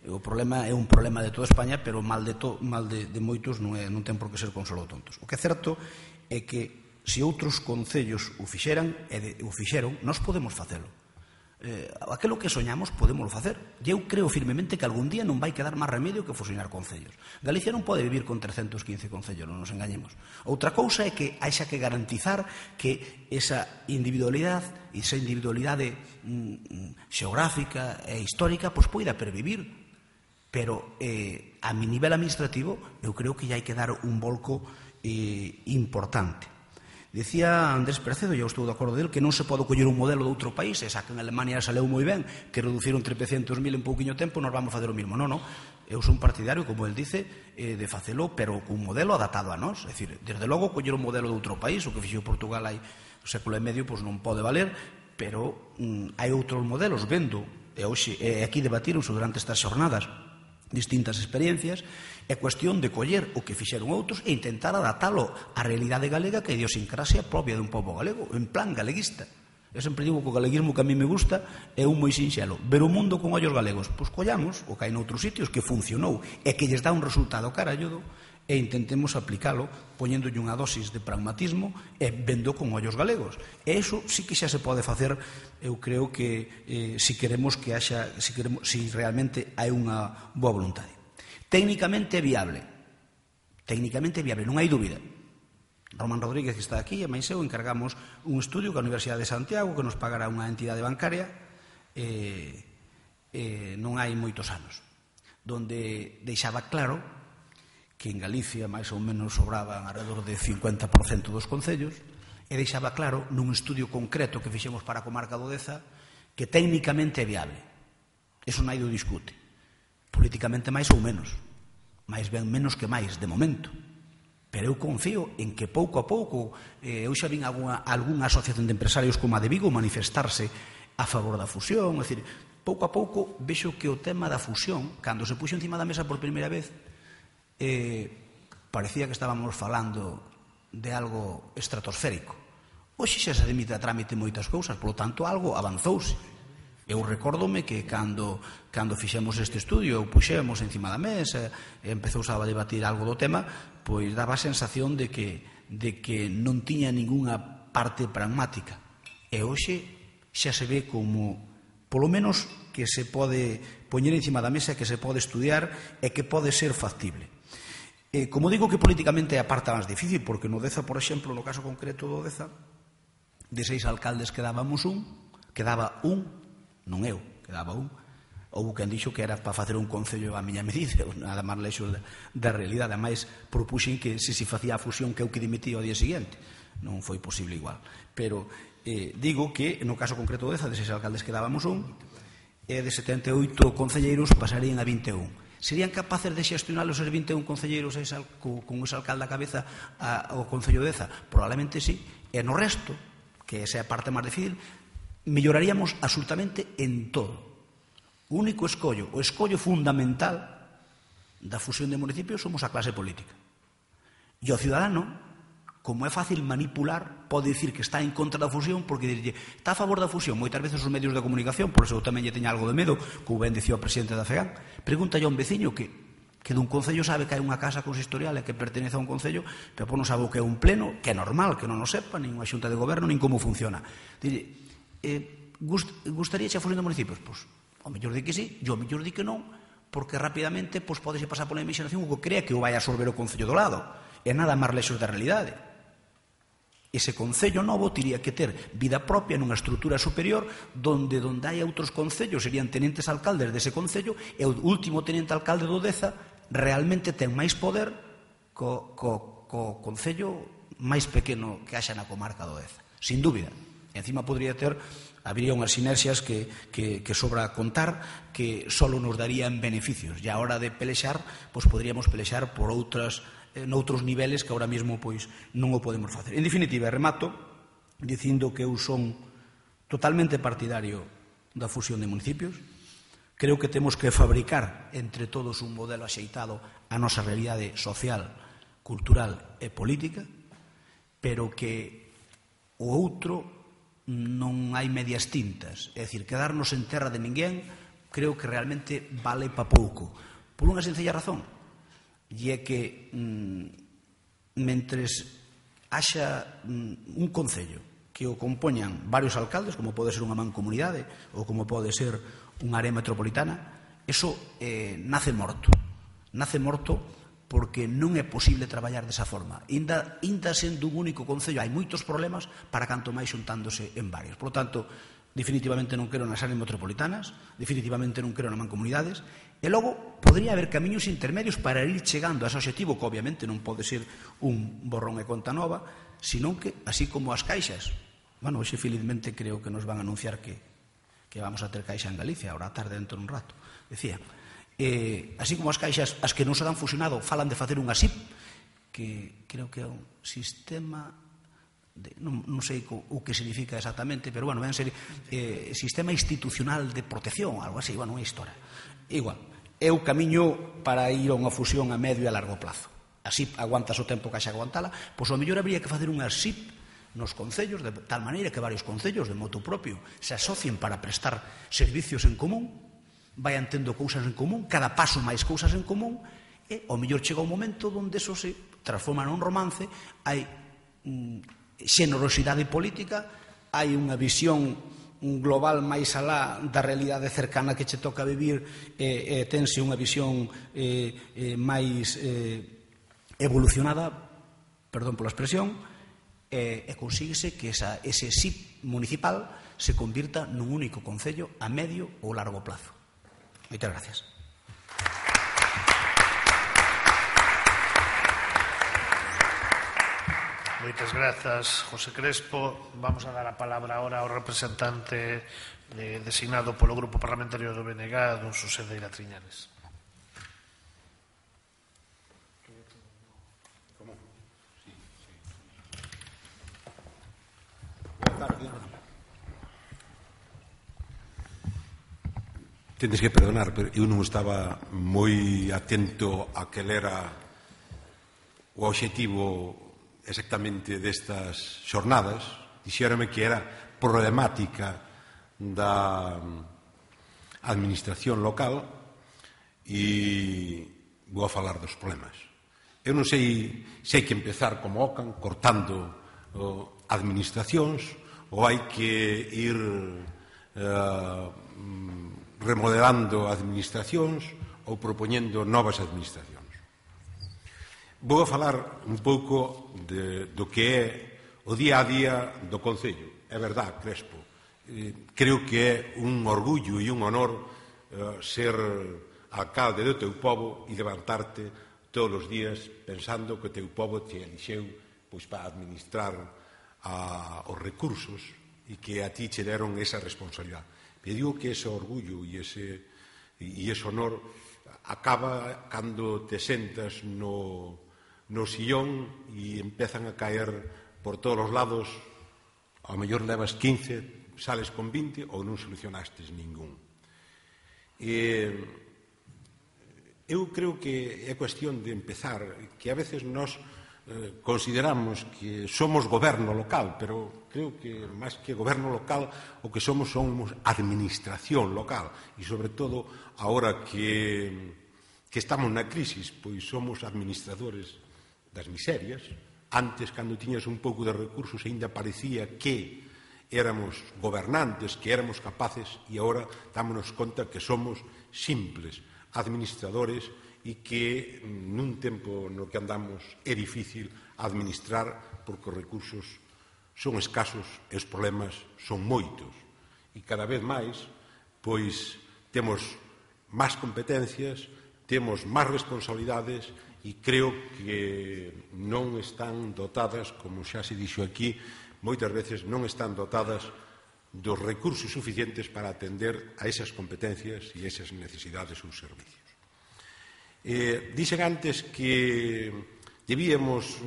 o problema é un problema de toda España, pero mal de moitos non ten por que ser con solo tontos. O que é certo é que se outros concellos o fixeran, e o fixeron, nós podemos facelo. Aquilo que soñamos podemos facer. E eu creo firmemente que algún día non vai quedar máis remedio que fusionar concellos. Galicia non pode vivir con 315 concellos, non nos engañemos. Outra cousa é que haixa que garantizar que esa individualidade xeográfica e histórica pois poida pervivir. Pero a mi nivel administrativo eu creo que hai que dar un volco importante. Dicía Andrés Precedo, e eu estou de acordo del, que non se pode coller un modelo de outro país, e xa que en Alemania saleu moi ben, que reduciron 300.000 en pouquiño tempo, nos vamos facer o mismo. Non, eu son partidario, como el dice, de facelo, pero cun modelo adaptado a nós. É dicir, desde logo, coller un modelo de outro país, o que fixo Portugal hai un século e medio, pois non pode valer, pero hai outros modelos, vendo, e aquí debatironse durante estas xornadas, distintas experiencias, é cuestión de coller o que fixeron outros e intentar adaptalo á realidade galega, que é a idiosincrasia propia dun pobo galego, en plan galeguista. Eu sempre digo que o galeguismo que a mí me gusta é un moi sinxelo, ver o mundo con ollos galegos. Pois collamos o que hai noutros sitios que funcionou e que lles dá un resultado caralludo, e intentemos aplicalo poñéndolle unha dosis de pragmatismo e vendo con ollos galegos. E iso sí que xa se pode facer, eu creo que si queremos que haxa, si realmente hai unha boa voluntade. Técnicamente viable, non hai dúbida. Román Rodríguez, que está aquí, e máis eu encargamos un estudio que a Universidade de Santiago, que nos pagará unha entidade bancaria, non hai moitos anos, donde deixaba claro que en Galicia máis ou menos sobraban alrededor de 50% dos concellos E deixaba claro nun estudio concreto que fixemos para a comarca do Deza que técnicamente é viable. Eso naide o discute. Políticamente máis ou menos. máis ben menos que máis, de momento. Pero eu confío en que pouco a pouco, eu xa vin algunha asociación de empresarios como a de Vigo manifestarse a favor da fusión, é dicir, pouco a pouco vexo que o tema da fusión, cando se puxo encima da mesa por primeira vez, parecía que estábamos falando de algo estratosférico. Hoxe xa se admite a trámite moitas cousas, polo tanto, algo avanzouse. Eu recórdome que cando fixemos este estudio, puxemos encima da mesa, empezouse a debatir algo do tema, pois daba a sensación de que non tiña ningunha parte pragmática. E hoxe xa se ve como, polo menos, que se pode poñer encima da mesa, que se pode estudiar e que pode ser factible. Como digo que políticamente é a parte máis difícil, porque no Deza, por exemplo, no caso concreto do Deza, de 6 alcaldes quedaba un, non eu, quedaba un. Houve quen dixo que era para facer un concello a miña medida, nada máis lexos da realidade. Ademais, propuxen que se facía a fusión que eu que dimitía ao día seguinte. Non foi posible igual. Pero digo que, no caso concreto do Deza, de 6 alcaldes quedábamos un, e de 78 concelleiros pasarían a 21. Serían capaces de xestionar os 21 concelleiros con ese alcalde a cabeza ao Concello de Deza? Probablemente sí. E no resto, que esa é a parte máis difícil, melloraríamos absolutamente en todo. O único escollo, o escollo fundamental da fusión de municipios somos a clase política. E o ciudadano, como é fácil manipular, pode dicir que está en contra da fusión porque dirlle, está a favor da fusión. Moitas veces os medios de comunicación, por eso eu tamén lle teña algo de medo, como ben dicía o presidente da FEGAN, pregúntalle a un veciño que dun concello sabe que hai unha casa consistorial e que pertenece a un concello, pero non sabe o que é un pleno, que é normal, que non o sepa, nin unha xunta de goberno, nin como funciona. Dille, gustaría xa fusión de municipios? Pois, o mellor di que sí, e o mellor di que non, porque rapidamente podexe pasar pola imaginación o que crea que o vai absorber o concello do lado. E nada máis lexos da realidade. Ese concello novo teria que ter vida propia nunha estrutura superior donde hai outros concellos, serían tenentes alcaldes dese concello, e o último tenente alcalde do Deza realmente ten máis poder co concello máis pequeno que haxa na comarca do Deza, sin dúbida. E encima habría unhas sinerxias que sobra contar, que só nos darían beneficios, e a hora de pelexar, pois poderíamos pelexar por noutros niveles que ahora mesmo pois non o podemos facer. En definitiva, remato dicindo que eu son totalmente partidario da fusión de municipios. Creo que temos que fabricar entre todos un modelo axeitado a nosa realidade social, cultural e política, pero que o outro non hai medias tintas. É dicir, quedarnos en terra de ninguén creo que realmente vale pa pouco. Por unha sencilla razón, e é que mentres haxa un concello que o compoñan varios alcaldes, como pode ser unha mancomunidade ou como pode ser unha área metropolitana, eso nace morto. Nace morto porque non é posible traballar desa forma. Inda sendo un único concello hai moitos problemas para canto máis xuntándose en varios. Por lo tanto, definitivamente non quero nas áreas metropolitanas, definitivamente non quero nas mancomunidades, e logo podría haber camiños intermedios para ir chegando a ese objetivo, que obviamente non pode ser un borrón e conta nova, senón que, así como as caixas, hoxe felizmente creo que nos van a anunciar que vamos a ter caixa en Galicia, ahora tarde dentro de un rato, decía, así como as caixas, as que non se dan fusionado, falan de facer unha SIP, que creo que é un sistema, non sei o que significa exactamente, pero ven a ser sistema institucional de protección, algo así, unha historia. Igual, é o camiño para ir a unha fusión a medio e a largo plazo. A SIP aguantas o tempo que haxa aguantala, pois ao mellor habría que facer unha SIP nos concellos, de tal maneira que varios concellos de motu propio se asocien para prestar servicios en común, vayan tendo cousas en común, cada paso máis cousas en común, e ao mellor chega un momento onde eso se transforma nun romance, hai xenerosidade política, hai unha visión global máis alá da realidade cercana que che toca vivir, tense unha visión máis evolucionada, perdón pola expresión, e consíguese que ese SIP municipal se convirta nun único concello a medio ou largo plazo. Moitas gracias. Moitas grazas, José Crespo. Vamos a dar a palabra ahora ao representante designado polo Grupo Parlamentario do BNG, don Xosé Deira Triñanes. Tendes que perdonar, pero eu non estaba moi atento a que era o obxectivo exactamente destas xornadas. Dixérame que era problemática da administración local e vou a falar dos problemas. Eu non sei se hai que empezar como Ocan, cortando administracións, ou hai que ir remodelando administracións ou propoñendo novas administracións. Vou a falar un pouco do que é o día a día do Concello. É verdad, Crespo. Creo que é un orgullo e un honor ser alcalde do teu pobo e levantarte todos os días pensando que o teu pobo te elixeu pois, para administrar os recursos e que a ti che deron esa responsabilidade. Me digo que ese orgullo e ese honor acaba cando te sentas no sillón e empezan a caer por todos os lados. Ao mellor levas 15, sales con 20 ou non solucionastes ningún. Eu creo que é cuestión de empezar, que a veces nós consideramos que somos goberno local, pero creo que máis que goberno local o que somos administración local e sobre todo agora que estamos na crisis, pois somos administradores das miserias. Antes, cando tiñas un pouco de recursos, aínda parecía que éramos gobernantes, que éramos capaces, e agora dámonos conta que somos simples administradores e que nun tempo no que andamos é difícil administrar porque os recursos son escasos e os problemas son moitos. E cada vez máis, pois, temos máis competencias, temos máis responsabilidades e creo que non están dotadas, como xa se dixo aquí, moitas veces non están dotadas dos recursos suficientes para atender a esas competencias e esas necesidades ou servicios. Dixen antes que debíamos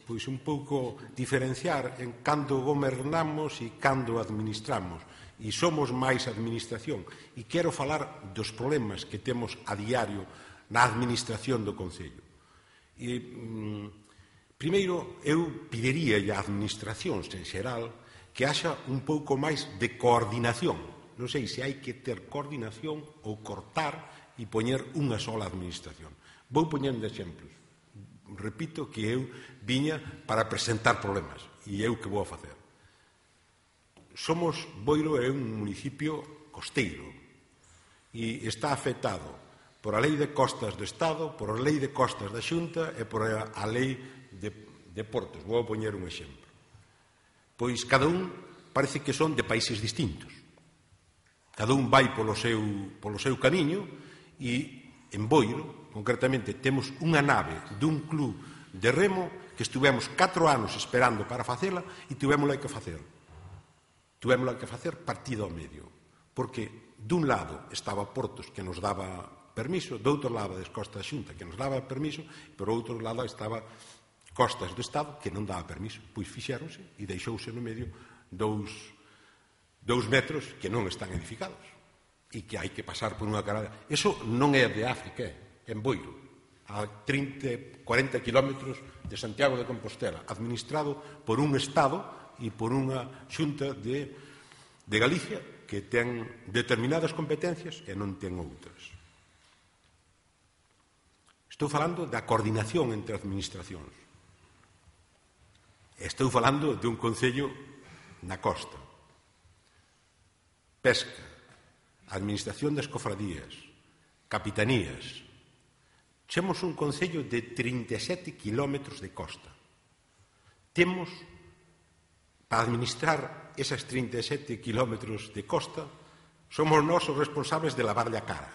pois, un pouco diferenciar en cando gobernamos e cando administramos. E somos máis administración. E quero falar dos problemas que temos a diario na administración do Concello. Primeiro, eu pediría a administracións en xeral que haxa un pouco máis de coordinación. Non sei se hai que ter coordinación ou cortar e poñer unha sola administración. Vou poñendo exemplos. Repito que eu viña para presentar problemas e eu que vou a facer. Boiro é un municipio costeiro e está afectado por a Lei de Costas do Estado, por a Lei de Costas da Xunta e por a Lei de Portos. Vou a poñer un exemplo. Pois cada un parece que son de países distintos. Cada un vai polo seu camiño e en Boiro, concretamente, temos unha nave dun club de remo que estuvemos 4 anos esperando para facela e tuvémola que facer. Tuvémola que facer partida ao medio. Porque dun lado estaba Portos que nos daba permiso, do outro lado das Costas da Xunta que nos daba permiso, e por outro lado estaba Costas do Estado que non daba permiso. Pois fixéronse e deixouse no medio 2 metros que non están edificados e que hai que pasar por unha carada. Eso non é de África, é en Boiro, a 30, 40 kilómetros de Santiago de Compostela, administrado por un Estado e por unha xunta de Galicia que ten determinadas competencias e non ten outras. Estou falando da coordinación entre administracións. Estou falando de un concello na costa. Pesca, administración das cofradías, capitanías. Temos un concello de 37 kilómetros de costa. Temos, para administrar esas 37 kilómetros de costa, somos nós os responsables de lavarlle a cara.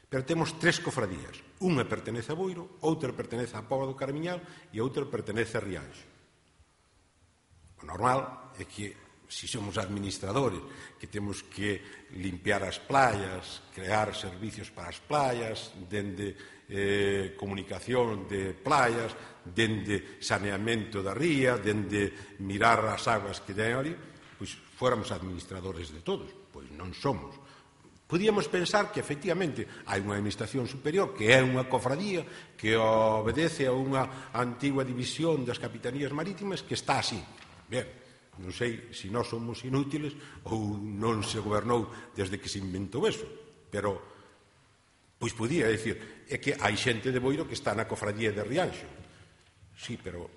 Pero temos 3 cofradías. Unha pertenece a Boiro, outra pertenece a Póvoa do Caramiñal e outra pertenece a Rianxo. normal é que se somos administradores que temos que limpiar as playas, crear servicios para as playas, dende comunicación de playas, dende saneamento da ría, dende mirar as aguas que den ali, pois fóramos administradores de todos. Pois non somos. Podíamos pensar que, efectivamente, hai unha administración superior que é unha cofradía que obedece a unha antigua división das capitanías marítimas que está así. Ben, non sei se nós somos inútiles ou non se gobernou desde que se inventou eso, pero pois podía decir, é que hai xente de Boiro que está na cofradía de Rianxo. Sí, pero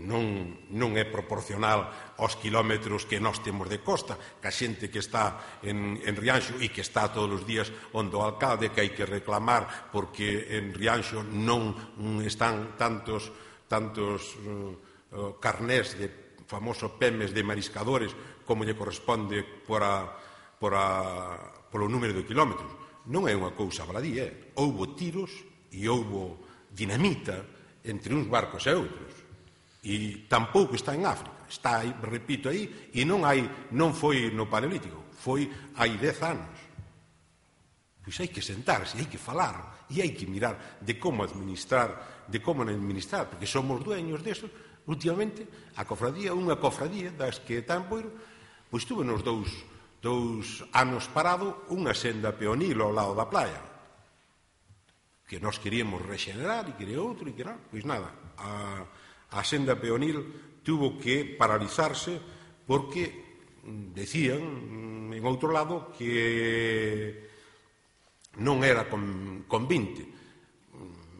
non é proporcional aos kilómetros que nós temos de costa, que a xente que está en Rianxo e que está todos os días onde o alcalde, que hai que reclamar porque en Rianxo non están tantos carnés de famoso PEMES de mariscadores como lle corresponde polo número de kilómetros. Non é unha cousa baladí, houbo tiros e houbo dinamita entre uns barcos e outros. E tampouco está en África, está aí, repito aí, e non foi no Paleolítico, foi hai 10 anos. Pois hai que sentarse, hai que falar, e hai que mirar de como administrar, porque somos dueños deso. Últimamente, a cofradía, unha cofradía das que está en Boiro, pois tuve nos dous anos parado unha senda peonil ao lado da playa, que nós queríamos regenerar e quería outro, e que non, pois nada, a senda peonil tuvo que paralizarse porque decían en outro lado que non era convinte.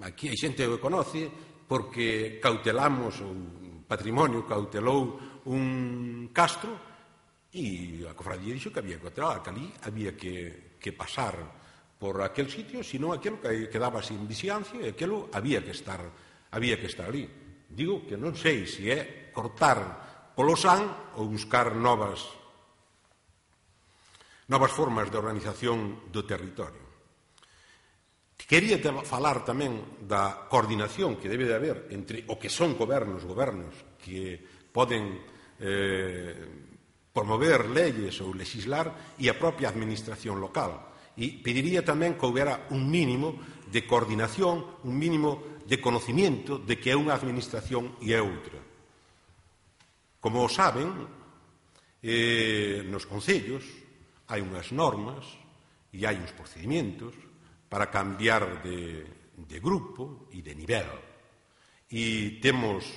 Aquí hai xente que conoce porque cautelamos, o patrimonio cautelou un castro e a cofradía dixo que había que cautelar, que ali había que pasar por aquel sitio, senón aquilo que quedaba sin vixiancia e aquilo había que estar ali. Digo que non sei se é cortar polo san ou buscar novas formas de organización do territorio. Quería falar tamén da coordinación que debe de haber entre o que son gobernos que poden promover leyes ou legislar e a propia administración local. E pediría tamén que houbera un mínimo de coordinación, un mínimo de conocimiento de que é unha administración e é outra. Como saben, nos concellos hai unhas normas e hai uns procedimentos para cambiar de grupo e de nivel. E temos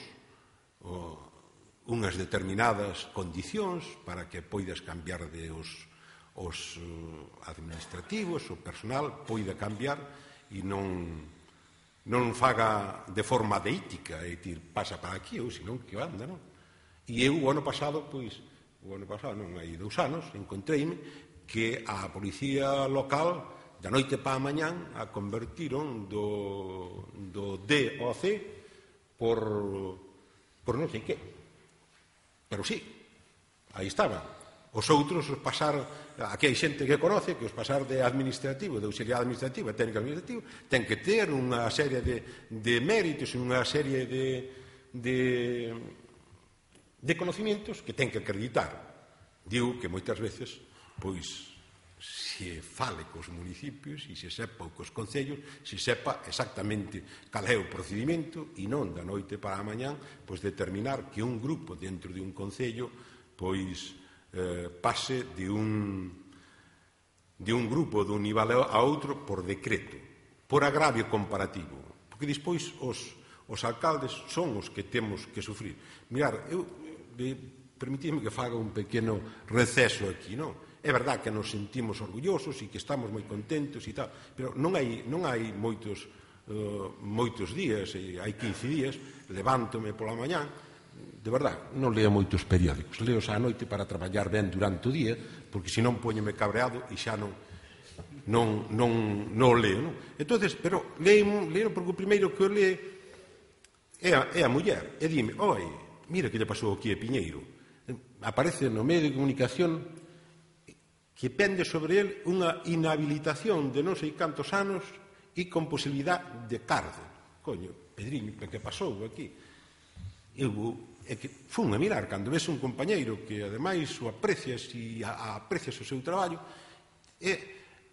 unhas determinadas condicións para que poidas cambiar os administrativos, o personal poida cambiar e non faga de forma deítica, é dicir, pasa para aquí ou senón que anda, non? E eu o ano pasado, non hai 2 anos, encontreime que a policía local da noite para a mañán a convertiron do D ao C por non sei que. Pero sí, aí estaban. Os outros, os pasar, aquí hai xente que conoce que os pasar de administrativo, de auxiliar administrativo, técnico administrativo, ten que ter unha serie de méritos, unha serie de conocimientos que ten que acreditar. Digo que moitas veces, pois, se fale cos municipios e se sepa cos concellos, se sepa exactamente cal é o procedimento e non da noite para a mañán pois determinar que un grupo dentro de un concello pois pase de un grupo dun nivel a outro por decreto, por agravio comparativo, porque despois os alcaldes son os que temos que sufrir. Mirar, permitidme que faga un pequeno receso aquí, non? É verdad que nos sentimos orgullosos e que estamos moi contentos e tal, pero non hai moitos días, hai 15 días, levántome pola mañán, de verdad, non leo moitos periódicos, leo xa a noite para traballar ben durante o día, porque senón poñeme cabreado e xa non leo, non? Entonces, pero leo porque o primeiro que o lee é a muller, e dime, oi, mira que lle pasou aquí a Piñeiro, aparece no medio de comunicación que pende sobre el unha inhabilitación de non sei cantos anos e con posibilidad de cárcel. Coño, Pedriño, que pasou aquí? Eu é que fun a mirar, cando ves un compañeiro que ademais o aprecias e aprecias o seu traballo, é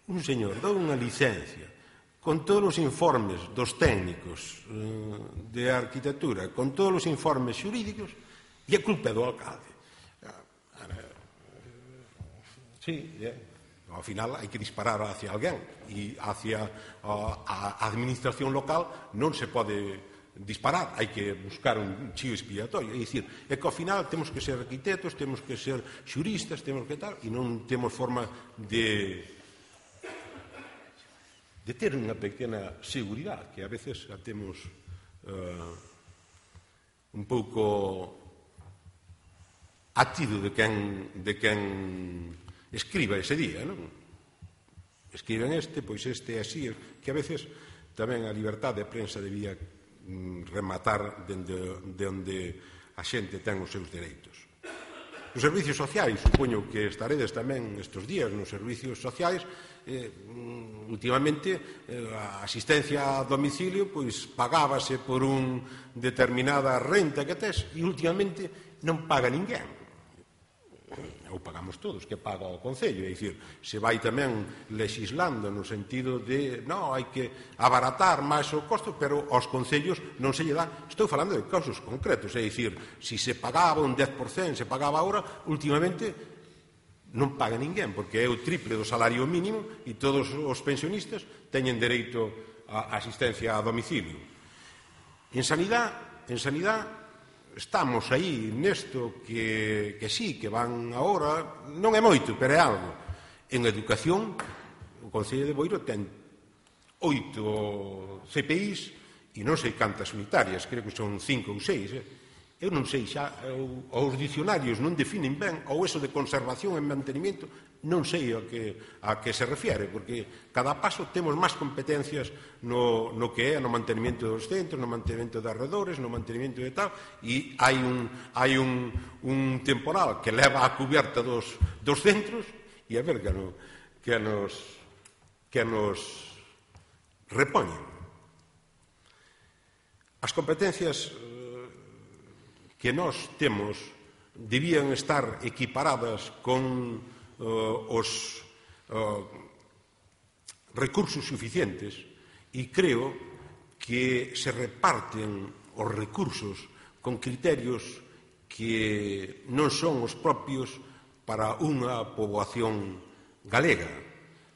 un señor, dá unha licencia con todos os informes dos técnicos de arquitectura, con todos os informes xurídicos, e a culpa é do alcalde. Sí, ao final hai que disparar hacia alguén, e hacia a administración local non se pode disparar, hai que buscar un chío expiatorio. É dicir, é que ao final temos que ser arquitectos, temos que ser xuristas, temos que tal, e non temos forma de ter unha pequena seguridade, que a veces a temos un pouco atido de quen escriba ese día, non? Escriben pois este é así, que a veces tamén a liberdade de prensa debía rematar de onde a xente ten os seus dereitos. Nos servicios sociais, supoño que estaredes tamén estes días nos servicios sociais, últimamente a asistencia a domicilio pois pagábase por un determinada renta que tes e últimamente non paga ninguén. Ou pagamos todos, que paga o Concello, é dicir, se vai tamén legislando no sentido de, non, hai que abaratar máis o costo, pero aos concellos non se lle dá. Estou falando de casos concretos, é dicir, se se pagaba un 10%, se pagaba agora, últimamente non paga ninguén, porque é o triple do salario mínimo e todos os pensionistas teñen dereito a asistencia a domicilio. En sanidade, estamos aí nesto que sí, que van agora, non é moito, pero é algo. En educación, o Concello de Boiro ten 8 CPIs e non sei cantas unitarias, creo que son 5 ou 6. Eu non sei xa, os dicionarios non definen ben, ou eso de conservación e mantenimiento, non sei a que se refiere, porque cada paso temos máis competencias no que é no mantenimento dos centros, no mantenimento de arredores, no mantenimento de tal, e hai un temporal que leva a cubierta dos centros, e a ver que nos repoñen. As competencias que nós temos debían estar equiparadas con os recursos suficientes e creo que se reparten os recursos con criterios que non son os propios para unha poboación galega.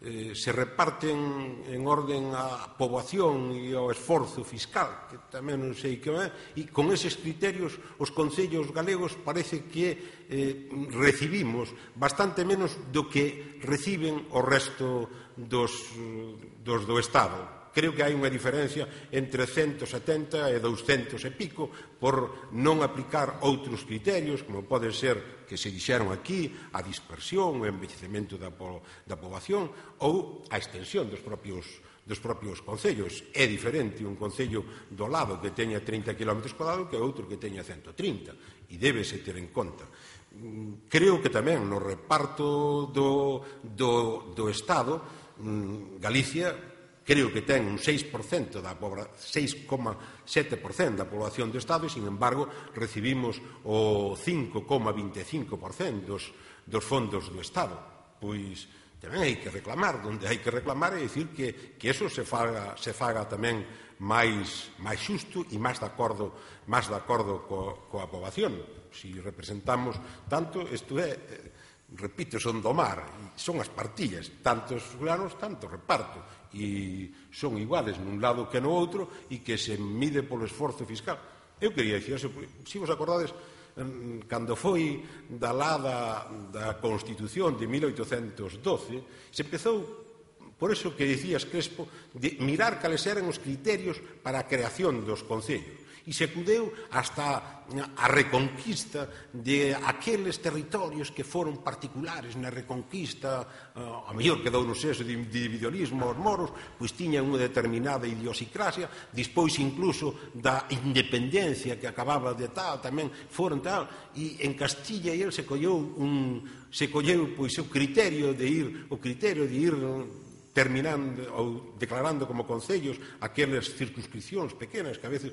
Se reparten en orden á poboación e ao esforzo fiscal, que tamén non sei que é, e con eses criterios os concellos galegos parece que recibimos bastante menos do que reciben o resto dos do Estado. Creo que hai unha diferencia entre 170 e 200 e pico por non aplicar outros criterios, como pode ser que se dixeron aquí, a dispersión, o envellecemento da poboación ou a extensión dos propios concellos. É diferente un concello do lado que teña 30 km cuadrados que outro que teña 130, e débese ter en conta. Creo que tamén no reparto do Estado, Galicia creo que ten un 6% 6,7% da poboación do Estado e, sin embargo, recibimos o 5,25% dos fondos do Estado. Pois tamén hai que reclamar, onde hai que reclamar é dicir que eso se faga tamén máis xusto e máis de acordo coa poboación. Se representamos tanto, isto é, repito, son do mar, son as partillas, tantos fulanos, tanto reparto, e son iguales nun lado que no outro e que se mide polo esforzo fiscal. Eu quería dicir, se vos acordades, cando foi da Constitución de 1812, se empezou, por eso que dicías, Crespo, de mirar cales eran os criterios para a creación dos concellos. E se acudeu hasta a reconquista de aqueles territorios que foron particulares na reconquista, a mellor quedou no seso de individualismo aos moros, pois tiñan unha determinada idiosincrasia, despois incluso da independencia que acababa de tal, tamén foron tal, e en Castilla e el se colleu pois o criterio de ir terminando ou declarando como concellos aquelas circunscripcións pequenas que a veces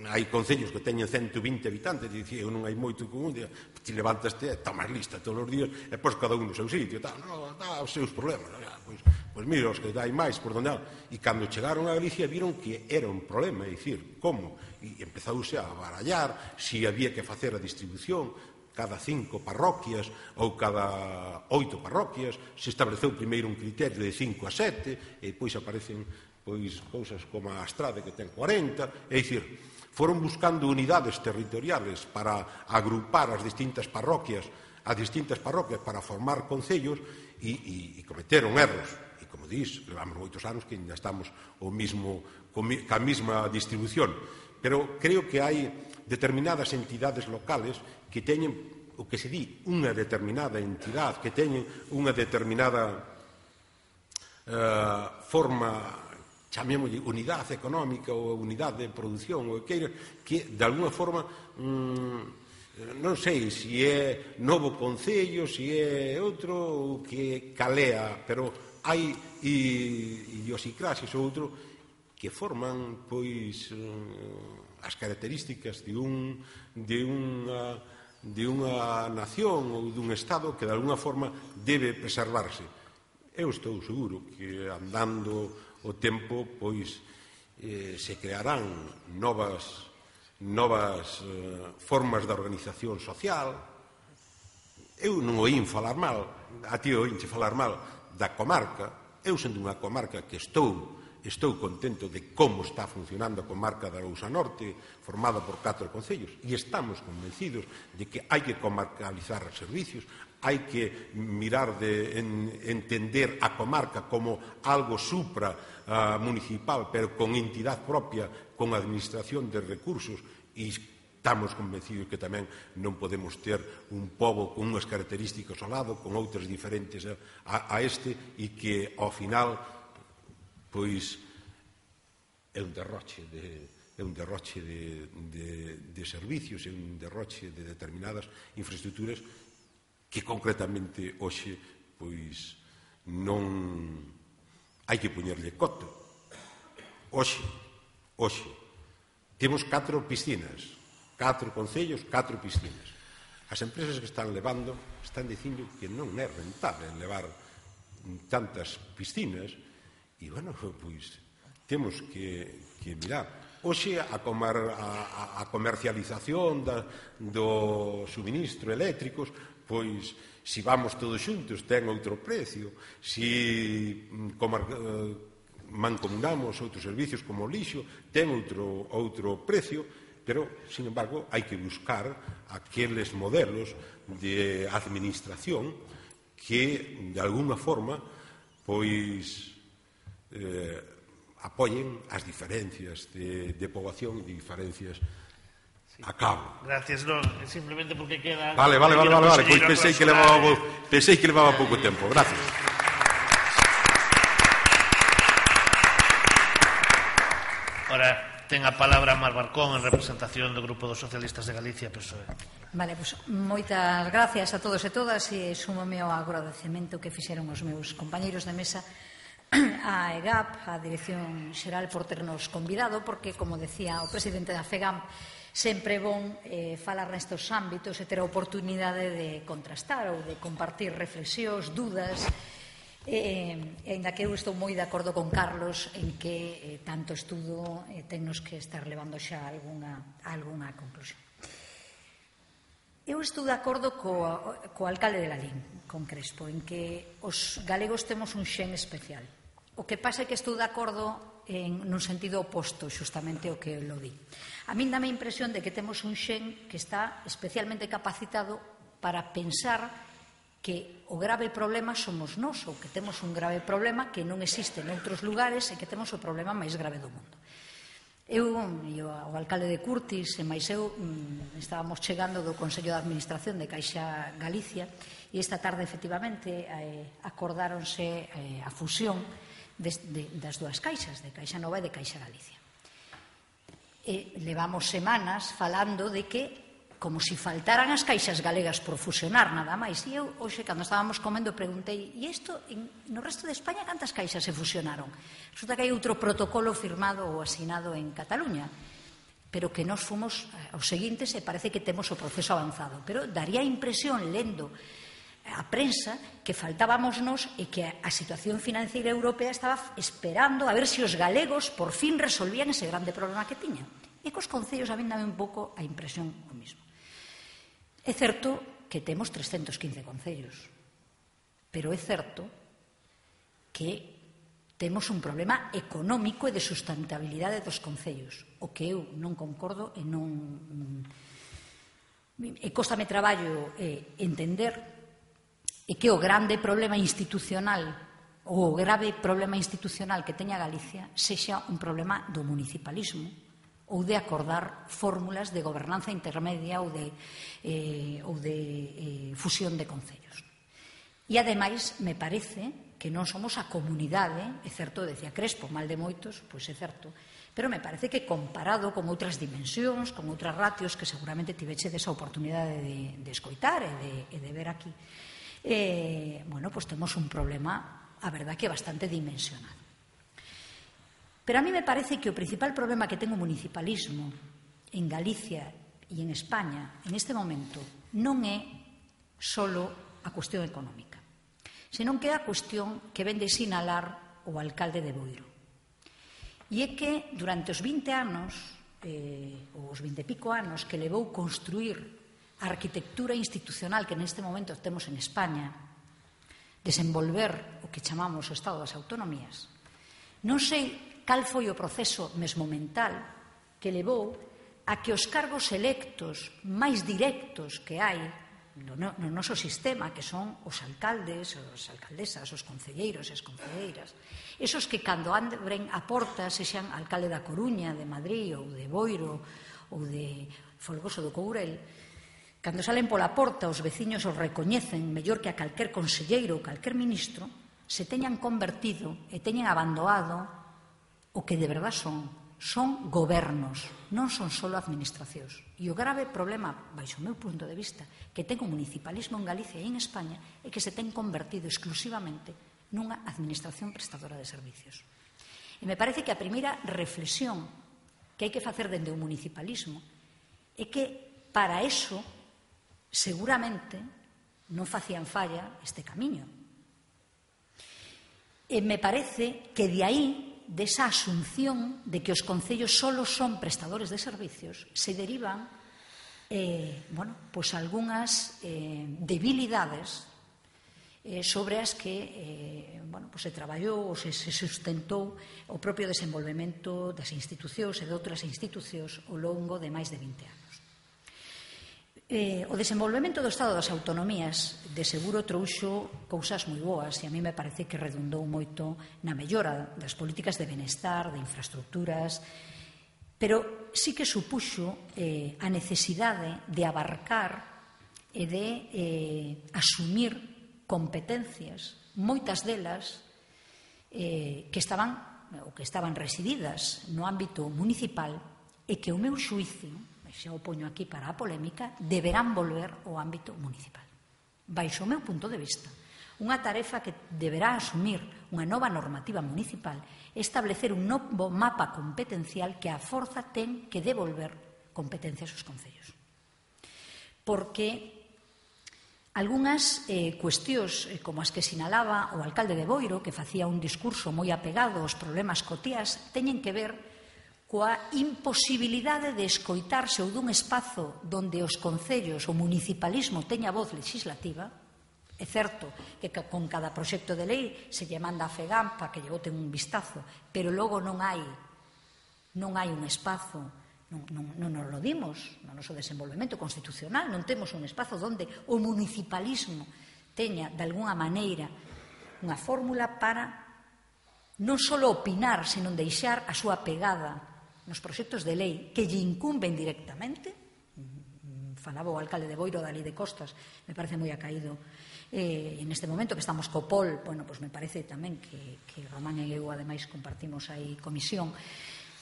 hai concellos que teñen 120 habitantes e dicía, non hai moito con un día, ti levantaste e tomas lista todos os días e pois cada un no seu sitio, dá os seus problemas, pois mira, os que hai máis por donde e cando chegaron a Galicia viron que era un problema, é dicir, como? E empezouse a barallar se había que facer a distribución cada 5 parroquias ou cada 8 parroquias, se estableceu primeiro un criterio de 5 a 7 e depois aparecen cousas como a Astrade que ten 40, é dicir, foron buscando unidades territoriales para agrupar as distintas parroquias para formar concellos e cometeron erros. E como dís, levamos moitos anos que ainda estamos ca mesma distribución. Pero creo que hai determinadas entidades locales que teñen o que se di unha determinada entidade, que teñen unha determinada forma, chamémoslle unidade económica ou unidade de produción ou que de alguna forma non sei se é novo concello, se é outro ou que calea, pero hai idiosincrasias ou outro que forman pois as características de unha nación ou dun Estado que de alguna forma debe preservarse. Eu estou seguro que andando o tempo pois se crearán novas formas de organización social. Eu non oín falar mal, a ti oínche falar mal da comarca. Eu sendo unha comarca que estou contento de como está funcionando a comarca da Arousa Norte, formada por 4 concellos, e estamos convencidos de que hai que comarcalizar os servicios, hai que mirar de entender a comarca como algo municipal, pero con entidade propia, con administración de recursos, e estamos convencidos que tamén non podemos ter un pobo con unhas características ao lado, con outras diferentes a este, e que ao final pois é un derroche de servicios, é un derroche de determinadas infraestructuras que concretamente hoxe pois non hai que poñerlle coto. Hoxe temos 4 piscinas, 4 concellos, 4 piscinas. As empresas que están levando están dicindo que non é rentable levar tantas piscinas e, bueno, pois temos que mirar. Hoxe a comercialización do suministro eléctricos, pois, se vamos todos xuntos, ten outro precio. Se mancomunamos outros servicios como o lixo, ten outro precio, pero, sin embargo, hai que buscar aqueles modelos de administración que, de alguna forma, pois apoyen as diferencias de poboación e de diferencias a cabo. Gracias, non, simplemente porque queda... Vale, pois pensei que levaba pouco tempo. Gracias. Ora, ten a palabra Mar Barcón en representación do Grupo dos Socialistas de Galicia, PSOE. Vale, pois moitas gracias a todos e todas e súmome ao agradecemento que fixeron os meus compañeiros de mesa a EGAP, a Dirección Xeral, por ternos convidado, porque, como decía o presidente da FEGAM, sempre é bon falar nestes ámbitos e ter a oportunidade de contrastar ou de compartir reflexións, dúdas, e ainda que eu estou moi de acordo con Carlos en que tanto estudo tennos que estar levando xa algunha conclusión. Eu estou de acordo co alcalde de Lalín, con Crespo, en que os galegos temos un xen especial. O que pasa é que estou de acordo nun sentido oposto, xustamente o que lo di. A min dame a impresión de que temos un xen que está especialmente capacitado para pensar que o grave problema somos nós, ou que temos un grave problema que non existe en outros lugares e que temos o problema máis grave do mundo. Eu e o alcalde de Curtis e máis eu estábamos chegando do Consello de Administración de Caixa Galicia e esta tarde, efectivamente, acordáronse a fusión das dúas caixas, de Caixa Nova e de Caixa Galicia. Levamos semanas falando de que como se faltaran as caixas galegas por fusionar, nada máis. E eu, hoxe, cando estábamos comendo, preguntei, e isto, no resto de España, cantas caixas se fusionaron? Resulta que hai outro protocolo firmado ou asinado en Cataluña. pero que nós fomos aos seguintes e parece que temos o proceso avanzado. Pero daría a impresión, lendo a prensa, que faltábamos nós e que a situación financiera europea estaba esperando a ver se os galegos por fin resolvían ese grande problema que tiñan. E cos concellos a mí dame un pouco a impresión o mismo. É certo que temos 315 concellos, pero é certo que temos un problema económico e de sustentabilidade dos concellos, o que eu non concordo e non... E cóstame traballo entender e que o grande problema institucional ou o grave problema institucional que teña Galicia sexa un problema do municipalismo ou de acordar fórmulas de gobernanza intermedia ou de fusión de concellos. E, ademais, me parece que non somos a comunidade, é certo, decía Crespo, mal de moitos, pois é certo, pero me parece que comparado con outras dimensións, con outras ratios que seguramente tivechedes a oportunidade de escoitar e de ver aquí, bueno, pois temos un problema, a verdad, que é bastante dimensionado. Pero a mí me parece que o principal problema que ten o municipalismo en Galicia e en España en este momento non é só a cuestión económica, senón que é a cuestión que ven de sinalar o alcalde de Boiro. E é que durante os 20 anos, ou os 20 e pico anos que levou construir a arquitectura institucional que neste momento temos en España, desenvolver o que chamamos o Estado das Autonomías, non sei cal foi o proceso mesmo mental que levou a que os cargos electos máis directos que hai no noso sistema, que son os alcaldes, as alcaldesas, os concelleiros e as concelleiras, esos que cando abren a porta, sexan alcalde da Coruña, de Madrid, ou de Boiro, ou de Folgoso do Courel, cando salen pola porta os veciños os recoñecen mellor que a calquer conselleiro ou calquer ministro, se teñan convertido e teñan abandonado o que de verdad son gobernos, non son só administracións. E o grave problema, baixo o meu punto de vista, que ten o municipalismo en Galicia e en España é que se ten convertido exclusivamente nunha administración prestadora de servicios. E me parece que a primeira reflexión que hai que facer dende o municipalismo é que para eso seguramente non facían falla este camiño. E me parece que de aí, desa asunción de que os concellos solo son prestadores de servicios, se derivan algunhas debilidades sobre as que se traballou ou se sustentou o propio desenvolvemento das institucións e de outras institucións ao longo de máis de 20 anos. O desenvolvemento do Estado das Autonomías de seguro trouxo cousas moi boas e a mí me parece que redundou moito na mellora das políticas de benestar, de infraestructuras, pero sí que supuxo a necesidade de abarcar e de asumir competencias, moitas delas que estaban resididas no ámbito municipal e que o meu xuízo, xa o poño aquí para a polémica, deberán volver ao ámbito municipal. Baixo o meu punto de vista, unha tarefa que deberá asumir unha nova normativa municipal é establecer un novo mapa competencial que a forza ten que devolver competencias aos concellos. Porque algunhas cuestións, como as que sinalaba o alcalde de Boiro, que facía un discurso moi apegado aos problemas cotiás, teñen que ver coa imposibilidade de escoitarse ou dun espazo donde os concellos, o municipalismo teña voz legislativa. É certo que con cada proxecto de lei se lle manda a FEGAM para que lle boten un vistazo, pero logo non hai un espazo, non nos lo dimos no noso desenvolvemento constitucional, non temos un espazo onde o municipalismo teña, de alguna maneira, unha fórmula para non só opinar, senón deixar a súa pegada nos proxectos de lei que lle incumben directamente. Falaba o alcalde de Boiro da Lei de Costas, me parece moi acaído en este momento que estamos co POL, me parece tamén que Román e eu ademais compartimos aí comisión,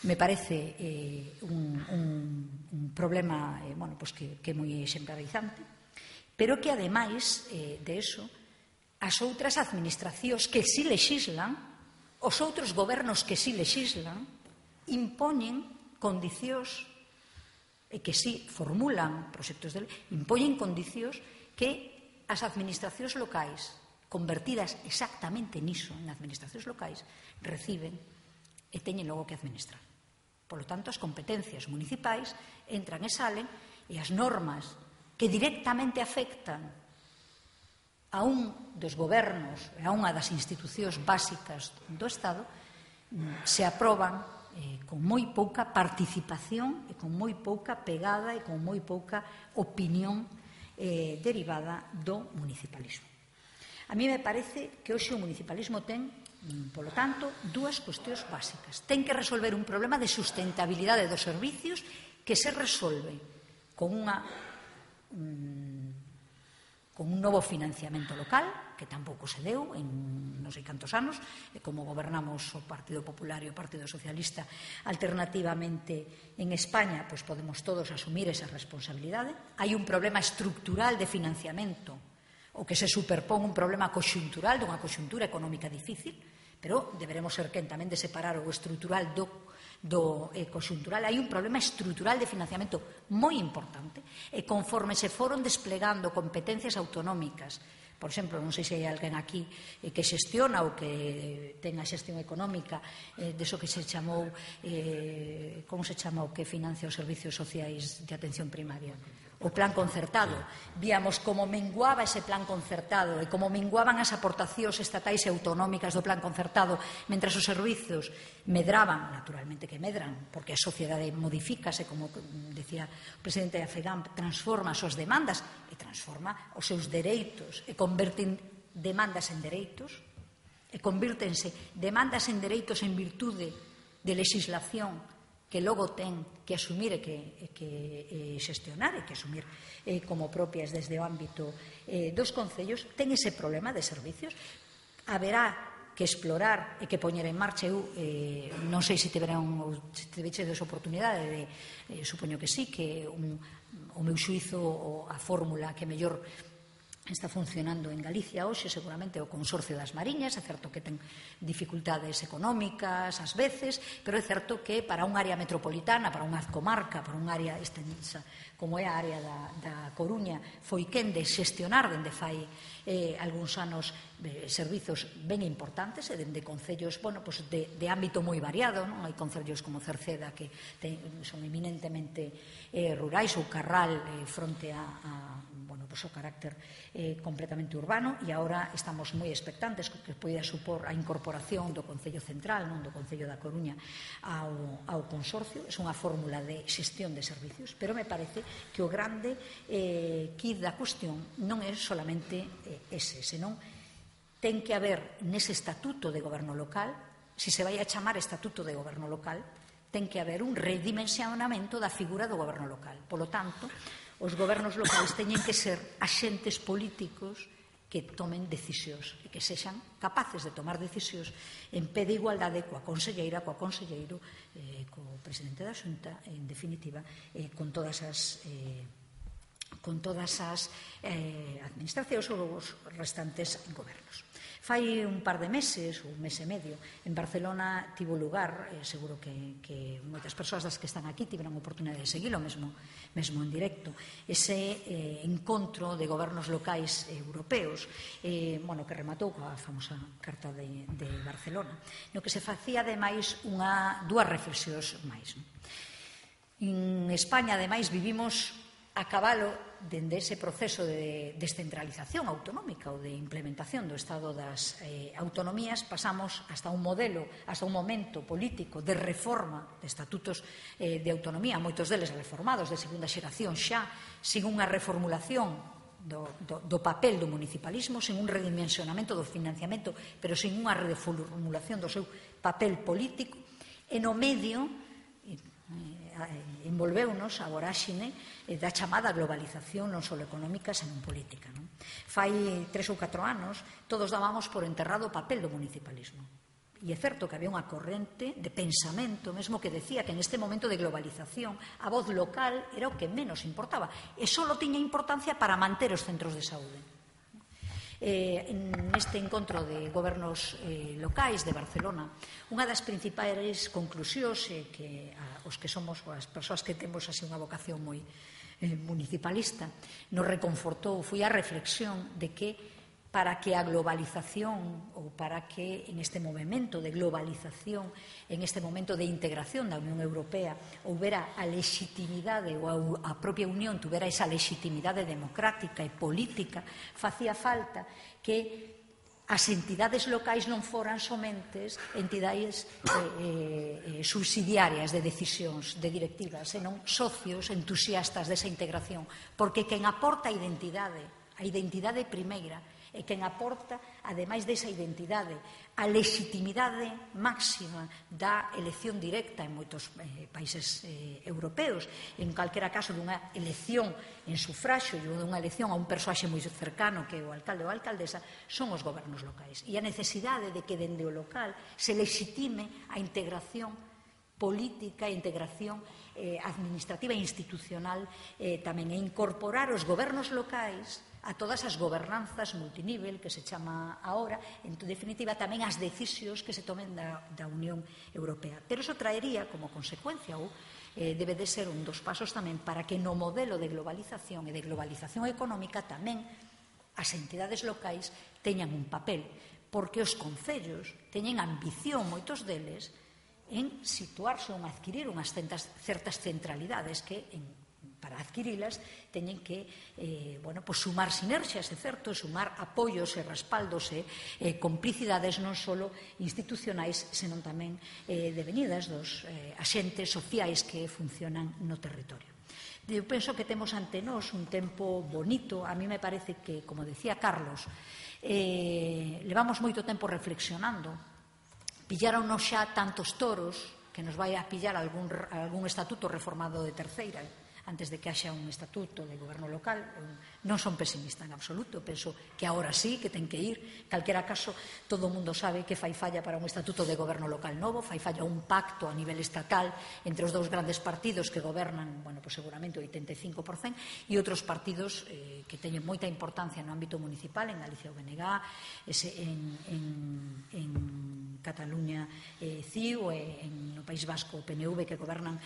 me parece un problema que é moi exemplarizante, pero que ademais de eso, as outras administracións que si lexislan, os outros gobernos que si lexislan, impoñen condicións e que si formulan proxectos de lei, impoñen condicións que as administracións locais, convertidas exactamente niso, en administracións locais, reciben e teñen logo que administrar. Por lo tanto, as competencias municipais entran e salen e as normas que directamente afectan a un dos gobernos e a unha das institucións básicas do Estado se aproban con moi pouca participación e con moi pouca pegada e con moi pouca opinión derivada do municipalismo. A mí me parece que hoxe o municipalismo ten, polo tanto, dúas cuestións básicas. Ten que resolver un problema de sustentabilidade dos servicios que se resolve con un novo financiamento local, que tampouco se deu en non sei cantos anos, como gobernamos o Partido Popular e o Partido Socialista alternativamente en España, pois podemos todos asumir esa responsabilidade. Hai un problema estructural de financiamento, o que se superpón un problema conxuntural dunha conxuntura económica difícil, pero deberemos ser quen tamén de separar o estrutural do conxuntural. Hai un problema estrutural de financiamento moi importante e conforme se foron desplegando competencias autonómicas, por exemplo, non sei se hai alguén aquí que xestiona ou que ten a xestión económica deso que se chamou, como se chama o que financia os servicios sociais de atención primaria? O plan concertado. Víamos como menguaba ese plan concertado e como menguaban as aportacións estatais e autonómicas do plan concertado, mentras os servizos medraban, naturalmente que medran, porque a sociedade modifícase, como decía o presidente da FEGAMP, transforma as súas demandas e transforma os seus dereitos e converten demandas en dereitos e convírtense demandas en dereitos en virtude de legislación que logo ten que asumir e que xestionar e que asumir como propias desde o ámbito dos concellos, ten ese problema de servicios. Haberá que explorar e que poñer en marcha. Eu non sei se tivechedes oportunidade supoño que sí, que o meu xuízo a fórmula que mellor está funcionando en Galicia hoxe seguramente o Consorcio das Mariñas. É certo que ten dificultades económicas ás veces, pero é certo que para unha área metropolitana, para unha comarca, para unha área extensa como é a área da Coruña, foi quen de xestionar dende fai algúns anos servizos ben importantes e dende concellos de ámbito moi variado. Non hai concellos como Cerceda que son eminentemente rurais, ou Carral fronte o carácter completamente urbano, e agora estamos moi expectantes que poida supor a incorporación do Concello Central, non do Concello da Coruña, ao Consorcio. É unha fórmula de xestión de servicios, pero me parece que o grande quid da cuestión non é solamente ese, senón ten que haber nese estatuto de goberno local, se vai a chamar estatuto de goberno local, ten que haber un redimensionamento da figura do goberno local. Polo tanto, os gobernos locais teñen que ser axentes políticos que tomen decisións e que sexan capaces de tomar decisións en pé de igualdade coa conselleira, coa conselleiro, co presidente da Xunta, en definitiva, con todas as administracións ou os restantes gobernos. Fai un par de meses, ou un mes e medio, en Barcelona tivo lugar, seguro que moitas persoas das que están aquí tiveron oportunidade de seguilo mesmo en directo, ese encontro de gobernos locais europeos, que rematou coa famosa Carta de Barcelona, no que se facía ademais dúas reflexións máis. En España, ademais, vivimos a cabalo dende ese proceso de descentralización autonómica ou de implementación do Estado das autonomías. Pasamos hasta un momento político de reforma de estatutos de autonomía, moitos deles reformados de segunda xeración xa, sin unha reformulación do papel do municipalismo, sin un redimensionamento do financiamento, pero sin unha reformulación do seu papel político. E no medio envolveunos a voráxine da chamada globalización non só económica, senón política. Fai 3 ou 4 anos todos dábamos por enterrado o papel do municipalismo. E é certo que había unha corrente de pensamento mesmo que decía que neste momento de globalización a voz local era o que menos importaba e só tiña importancia para manter os centros de saúde. neste encontro de gobernos locais de Barcelona, unha das principais conclusións que os que somos as persoas que temos así unha vocación moi municipalista nos reconfortou foi a reflexión de que para que a globalización ou para que en este movimento de globalización, en este momento de integración da Unión Europea, houbera a legitimidade ou a propia Unión tuvera esa legitimidade democrática e política, facía falta que as entidades locais non foran somentes entidades subsidiarias de decisións, de directivas, senón socios entusiastas desa integración, porque quen aporta a identidade primeira, e quen aporta, ademais desa identidade, a legitimidade máxima da elección directa en moitos países europeos, en calquera caso dunha elección en sufraxio e dunha elección a un persoaxe moi cercano que é o alcalde ou a alcaldesa, son os gobernos locais. E a necesidade de que dende o local se legitime a integración política e integración administrativa e institucional tamén, e incorporar os gobernos locais a todas as gobernanzas multinivel que se chama ahora, en definitiva tamén as decisións que se tomen da Unión Europea. Pero iso traería como consecuencia ou debe de ser un dos pasos tamén para que no modelo de globalización e de globalización económica tamén as entidades locais teñan un papel, porque os concellos teñen ambición, moitos deles, en situarse ou en adquirir unhas certas centralidades que para adquirilas teñen que sumar sinerxias, é certo, sumar apoios e respaldos e complicidades non só institucionais, senón tamén devenidas dos axentes sociais que funcionan no territorio. Eu penso que temos ante nós un tempo bonito. A mí me parece que, como decía Carlos, levamos moito tempo reflexionando. Pillaronnos xa tantos toros que nos vai a pillar algún estatuto reformado de terceira antes de que haxa un estatuto de goberno local. Non son pesimista en absoluto, penso que agora sí, que ten que ir. Calquera caso, todo o mundo sabe que fai falla para un estatuto de goberno local novo, fai falla un pacto a nivel estatal entre os dous grandes partidos que gobernan, seguramente o 85%, e outros partidos que teñen moita importancia no ámbito municipal, en Galicia o BNG, en Cataluña CIU, e no País Vasco o PNV, que gobernan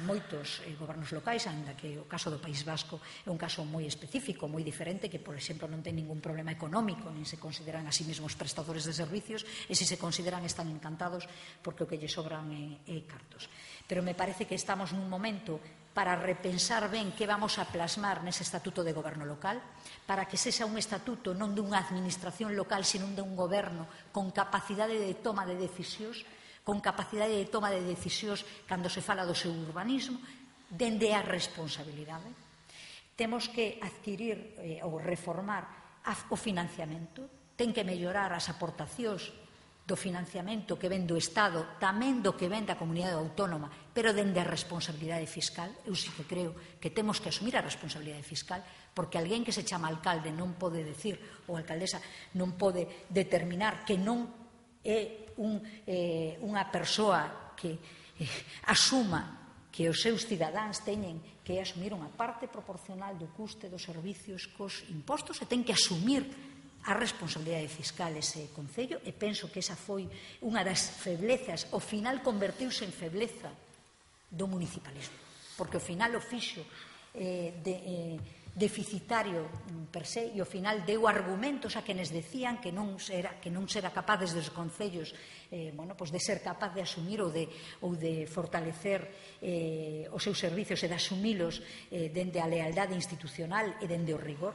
moitos gobernos locais, ainda que o caso do País Vasco é un caso moi específico, moi diferente, que, por exemplo, non ten ningún problema económico, nin se consideran a sí mesmos prestadores de servicios, e se consideran están encantados porque o que lle sobran é cartos. Pero me parece que estamos nun momento para repensar ben que vamos a plasmar nese estatuto de goberno local, para que sexa un estatuto non dunha administración local, senón dun goberno con capacidade de toma de decisións, cando se fala do seu urbanismo, dende a responsabilidade. Temos que adquirir ou reformar o financiamento, ten que mellorar as aportacións do financiamento que ven do Estado, tamén do que ven da comunidade autónoma, pero dende a responsabilidade fiscal. Eu sí que creo que temos que asumir a responsabilidade fiscal, porque alguén que se chama alcalde non pode decir, ou alcaldesa non pode determinar que non é unha persoa que asuma que os seus cidadáns teñen que asumir unha parte proporcional do custe dos servicios cos impostos, e ten que asumir a responsabilidade fiscal ese concello, e penso que esa foi unha das feblezas, ao final convertiuse en febleza do municipalismo, porque ao final o fixo deficitario per se, e ao final deu argumentos a quenes decían que non será capaz desde os concellos de ser capaz de asumir ou de fortalecer os seus servicios e de asumilos dende a lealdade institucional e dende o rigor.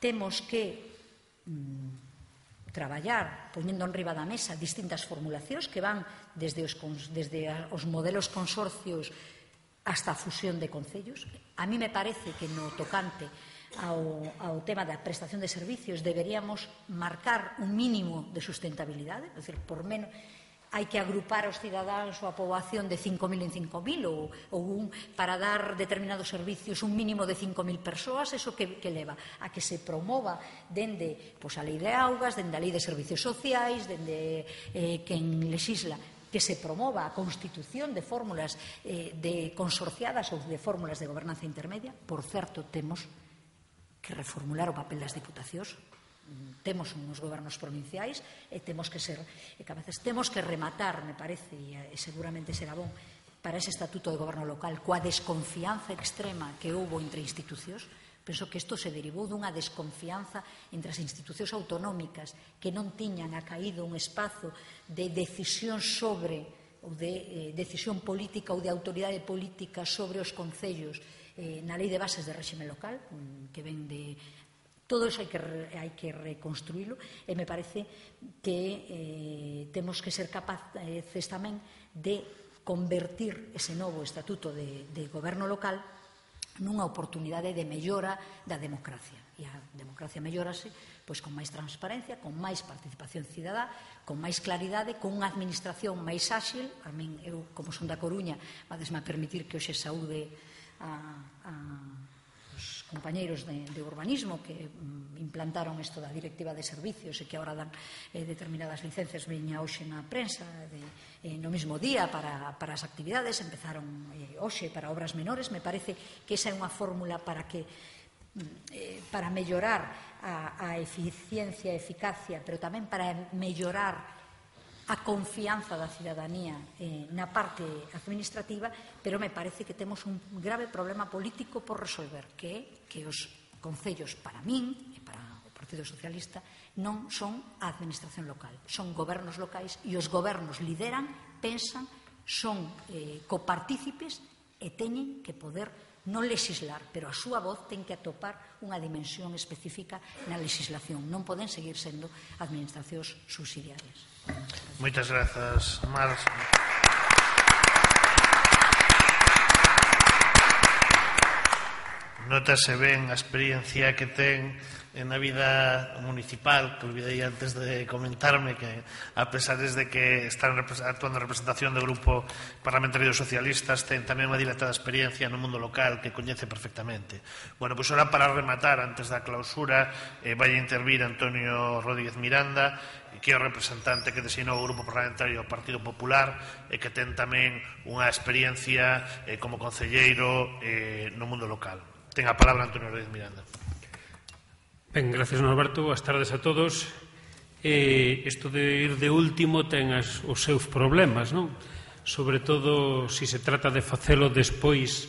Temos que traballar poñendo enriba da mesa distintas formulacións que van desde os modelos consorcios hasta a fusión de concellos. A mí me parece que no tocante ao tema da prestación de servicios deberíamos marcar un mínimo de sustentabilidade, é dicir, por menos hai que agrupar aos cidadáns ou a poboación de 5.000 en 5.000 ou para dar determinados servicios un mínimo de 5.000 persoas. Eso que leva a que se promova dende a lei de augas, dende a lei de servicios sociais, dende quen lexisla, que se promova a constitución de fórmulas de consorciadas ou de fórmulas de gobernanza intermedia. Por certo, temos que reformular o papel das diputacións. temos uns gobernos provinciais e temos que ser, e que a veces temos que rematar, me parece, e seguramente será bon, para ese estatuto de goberno local, coa desconfianza extrema que houbo entre institucións. Penso que isto se derivou dunha desconfianza entre as institucións autonómicas que non tiñan acaído un espazo de decisión sobre, ou de decisión política ou de autoridade política sobre os concellos na lei de bases de réxime local, que ven de... Todo iso hai que reconstruílo e me parece que temos que ser capaces tamén de convertir ese novo estatuto de goberno local nunha oportunidade de mellora da democracia. E a democracia mellorase pois, con máis transparencia, con máis participación cidadá, con máis claridade, con unha administración máis áxil. A min, eu, como son da Coruña, vadesme a permitir que hoxe saúde os compañeiros de urbanismo que implantaron isto da directiva de servicios e que agora dan determinadas licencias. Veña hoxe na prensa no mesmo día para as actividades, empezaron hoxe para obras menores. Me parece que esa é unha fórmula para mellorar a eficiencia e eficacia, pero tamén para mellorar a confianza da cidadanía na parte administrativa, pero me parece que temos un grave problema político por resolver, que é que os concellos, para min e para o Partido Socialista, non son a administración local, son gobernos locais, e os gobernos lideran, pensan, son copartícipes e teñen que poder non legislar, pero a súa voz ten que atopar unha dimensión específica na legislación. Non poden seguir sendo administracións subsidiarias. Moitas grazas, Mar. Notase ben a experiencia que ten na vida municipal, que olvidei antes de comentarme, que a pesar de que están actuando en representación do Grupo Parlamentario dos Socialistas, ten tamén unha dilatada experiencia no mundo local que coñece perfectamente. Bueno, pois ora para rematar, antes da clausura, vai intervir Antonio Rodríguez Miranda, que é o representante que designou o Grupo Parlamentario do Partido Popular e que ten tamén unha experiencia como concelleiro no mundo local. Ten a palabra Antonio Rodríguez Miranda. Ben, gracias, Norberto. Boas tardes a todos. Isto de ir de último ten os seus problemas, non? Sobre todo se se trata de facelo despois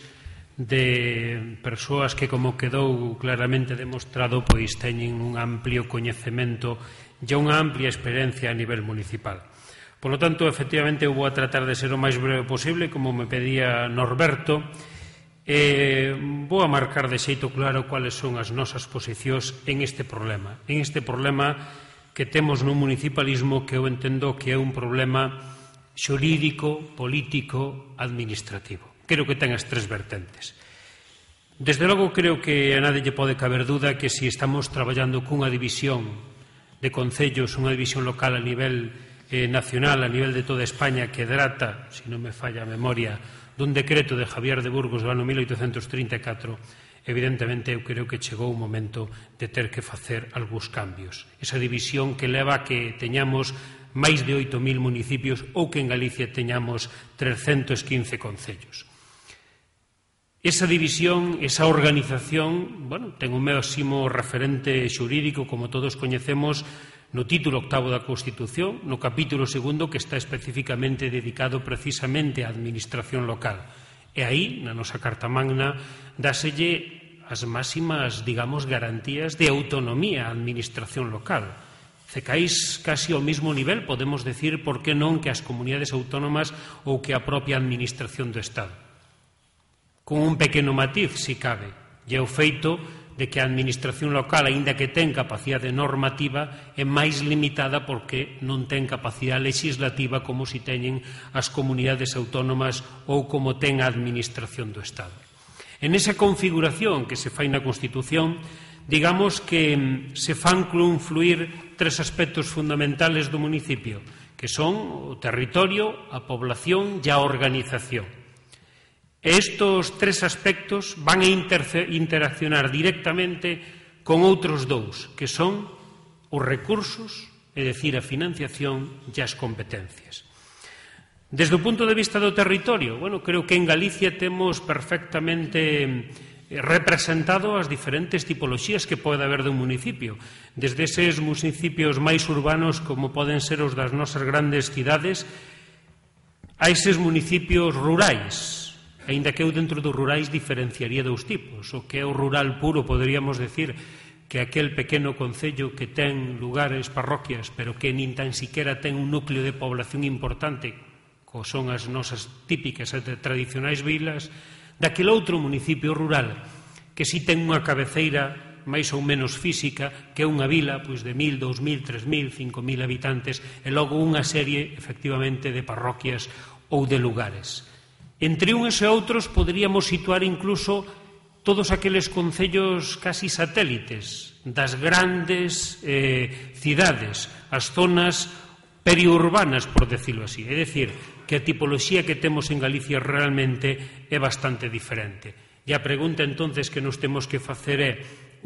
de persoas que, como quedou claramente demostrado, pois teñen un amplio coñecemento e unha amplia experiencia a nivel municipal. Por lo tanto, efectivamente, eu vou a tratar de ser o máis breve posible, como me pedía Norberto. Vou a marcar de xeito claro cuáles son as nosas posicións en este problema que temos no municipalismo, que eu entendo que é un problema xurídico, político, administrativo. Creo que ten as tres vertentes. Desde logo, creo que a nadie lle pode caber duda que se estamos traballando cunha división de concellos, unha división local a nivel nacional, a nivel de toda España, que trata, se non me falla a memoria, dun decreto de Javier de Burgos do ano 1834, evidentemente eu creo que chegou o momento de ter que facer algúns cambios. Esa división que leva a que teñamos máis de 8.000 municipios ou que en Galicia teñamos 315 concellos. Esa división, esa organización, ten un máximo referente xurídico, como todos coñecemos, no título 8º da Constitución, no capítulo 2º, que está especificamente dedicado precisamente á administración local. E aí, na nosa Carta Magna, dáselle as máximas, digamos, garantías de autonomía á administración local. Cecáis casi ao mesmo nivel, podemos decir, por que non, que as comunidades autónomas ou que a propia administración do Estado. Con un pequeno matiz, si cabe, e o feito de que a administración local, aínda que ten capacidade normativa, é máis limitada porque non ten capacidade legislativa como si teñen as comunidades autónomas ou como ten a administración do Estado. En esa configuración que se fai na Constitución, digamos que se fan confluir tres aspectos fundamentales do municipio, que son o territorio, a población e a organización. Estos tres aspectos van a interaccionar directamente con outros dous, que son os recursos, é dicir, a financiación e as competencias. Desde o punto de vista do territorio, creo que en Galicia temos perfectamente representado as diferentes tipoloxías que pode haber dun municipio, desde eses municipios máis urbanos como poden ser os das nosas grandes cidades a eses municipios rurais, aínda que eu dentro dos rurais diferenciaría dous tipos. O que é o rural puro, poderíamos decir que aquel pequeno concello que ten lugares, parroquias, pero que nin tan siquiera ten un núcleo de población importante, como son as nosas típicas e tradicionais vilas, daquel outro municipio rural que si ten unha cabeceira máis ou menos física, que é unha vila pois, de 1.000, 2.000, 3.000, 5.000 habitantes e logo unha serie, efectivamente, de parroquias ou de lugares. Entre uns e outros poderíamos situar incluso todos aqueles concellos casi satélites das grandes cidades, as zonas periurbanas, por decirlo así. É dicir, que a tipoloxía que temos en Galicia realmente é bastante diferente. E a pregunta entonces que nos temos que facer é: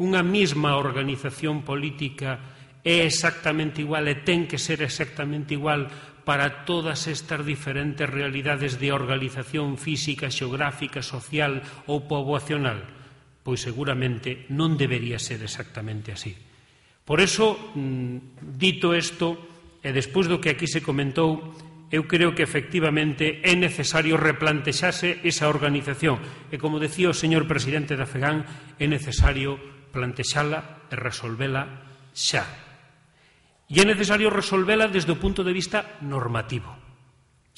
unha mesma organización política é exactamente igual e ten que ser exactamente igual para todas estas diferentes realidades de organización física, xeográfica, social ou poboacional? Pois seguramente non debería ser exactamente así. Por eso, dito isto, e despois do que aquí se comentou, eu creo que efectivamente é necesario replantexarse esa organización. E como decía o señor presidente da FEGAN, é necesario plantexala e resolvela xa. E é necesario resolvela desde o punto de vista normativo.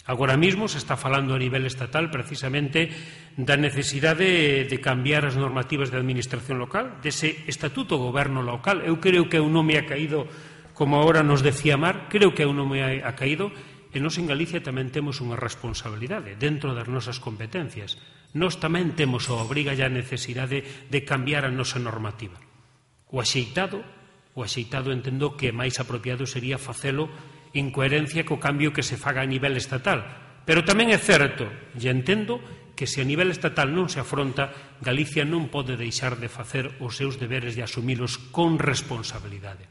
Agora mesmo se está falando a nivel estatal precisamente da necesidade de cambiar as normativas de administración local, dese estatuto goberno local. Eu creo que un nome ha caído, como agora nos decía Mar, creo que un nome ha caído, e nós en Galicia tamén temos unha responsabilidade dentro das nosas competencias. Nós tamén temos a obriga e a necesidade de cambiar a nosa normativa. O axeitado entendo que máis apropiado sería facelo en coherencia co cambio que se faga a nivel estatal. Pero tamén é certo, e entendo, que se a nivel estatal non se afronta, Galicia non pode deixar de facer os seus deberes e asumilos con responsabilidade.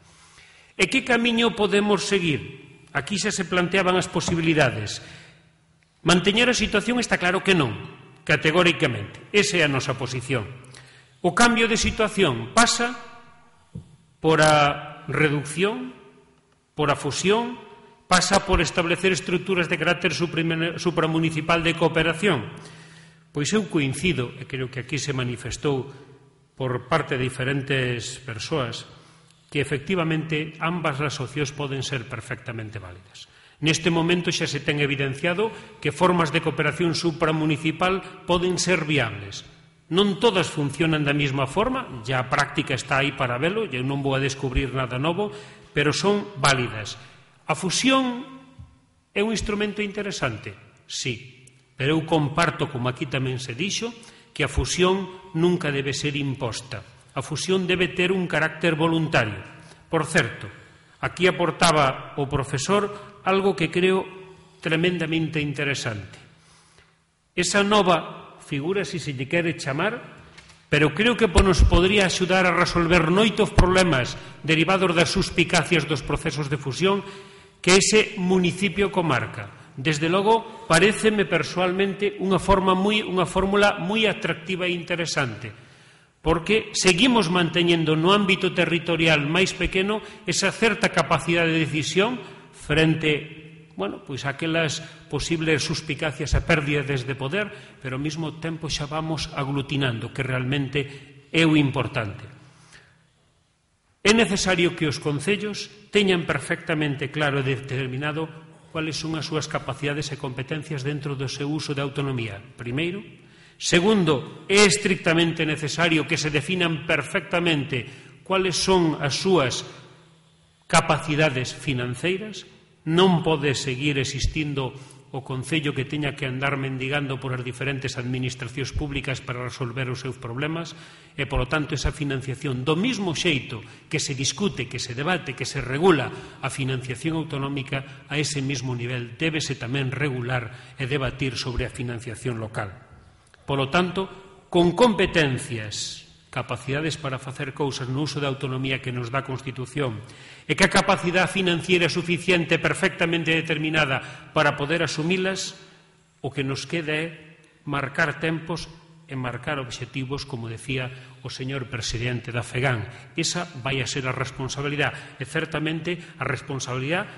E que camiño podemos seguir? Aquí xa se planteaban as posibilidades. Manteñer a situación está claro que non, categóricamente. Esa é a nosa posición. O cambio de situación pasa por a reducción, por a fusión, pasa por establecer estruturas de carácter supramunicipal de cooperación. Pois eu coincido, e creo que aquí se manifestou por parte de diferentes persoas, que efectivamente ambas as opcións poden ser perfectamente válidas. Neste momento xa se ten evidenciado que formas de cooperación supramunicipal poden ser viables. Non todas funcionan da mesma forma, ya a práctica está aí para velo, eu non vou a descubrir nada novo, pero son válidas. A fusión é un instrumento interesante, sí, pero eu comparto, como aquí tamén se dixo, que a fusión nunca debe ser imposta. A fusión debe ter un carácter voluntario. Por certo, aquí aportaba o profesor algo que creo tremendamente interesante. Esa nova figura, se se lle quere chamar, pero creo que nos podría axudar a resolver moitos problemas derivados das suspicacias dos procesos de fusión, que ese municipio comarca. Desde logo, paréceme persoalmente unha fórmula moi atractiva e interesante, porque seguimos manteñendo no ámbito territorial máis pequeno esa certa capacidade de decisión frente, pois aquelas posibles suspicacias a pérdidas de poder, pero ao mesmo tempo xa vamos aglutinando, que realmente é o importante. É necesario que os concellos teñan perfectamente claro e determinado cuáles son as súas capacidades e competencias dentro do seu uso de autonomía. Primeiro. Segundo, é estrictamente necesario que se definan perfectamente cuáles son as súas capacidades financeiras. Non pode seguir existindo o concello que teña que andar mendigando por as diferentes administracións públicas para resolver os seus problemas e, polo tanto, esa financiación, do mesmo xeito que se discute, que se debate, que se regula a financiación autonómica, a ese mesmo nivel débese tamén regular e debatir sobre a financiación local. Polo tanto, con competencias, capacidades para facer cousas no uso da autonomía que nos dá a Constitución e que a capacidade financiera suficiente perfectamente determinada para poder asumilas, o que nos queda é marcar tempos e marcar obxectivos, como decía o señor presidente da FEGAN. Esa vai a ser a responsabilidade, e certamente a responsabilidade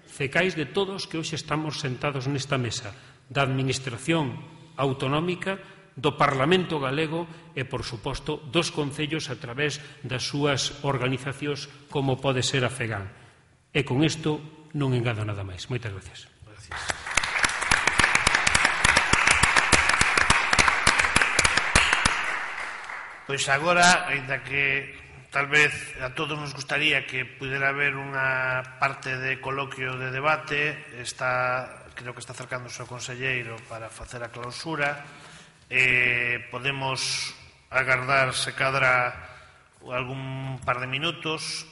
cecais de todos que hoxe estamos sentados nesta mesa, da Administración autonómica, do Parlamento galego e, por suposto, dos concellos a través das súas organizacións como pode ser a FEGAN. E con isto non engado nada máis. Moitas gracias. Pois agora, ainda que tal vez a todos nos gustaría que pudera haber unha parte de coloquio de debate, creo que está acercándose o conselleiro para facer a clausura. Podemos agardar se cadra algún par de minutos.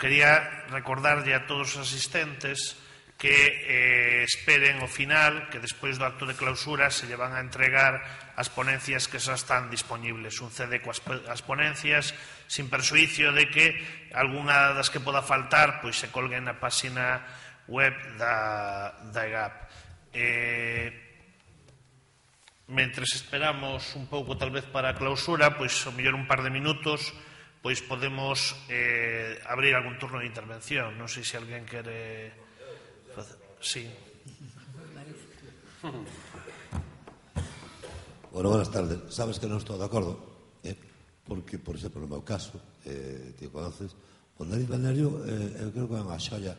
Quería recordarlle a todos os asistentes que esperen o final, que despois do acto de clausura se lle van a entregar as ponencias que xa están disponibles, un CD coas ponencias, sin persuicio de que algunha das que poda faltar pois se colguen na páxina web da EGAP. Mentres esperamos un pouco tal vez para a clausura, pois ao mellor un par de minutos, pois podemos abrir algún turno de intervención. Non sei se alguén quere facer. Sí. Bueno, buenas tardes. Sabes que non estou de acordo, porque, por exemplo, no meu caso, ti conoces, o Nariz Balneario, eu creo que é unha xoia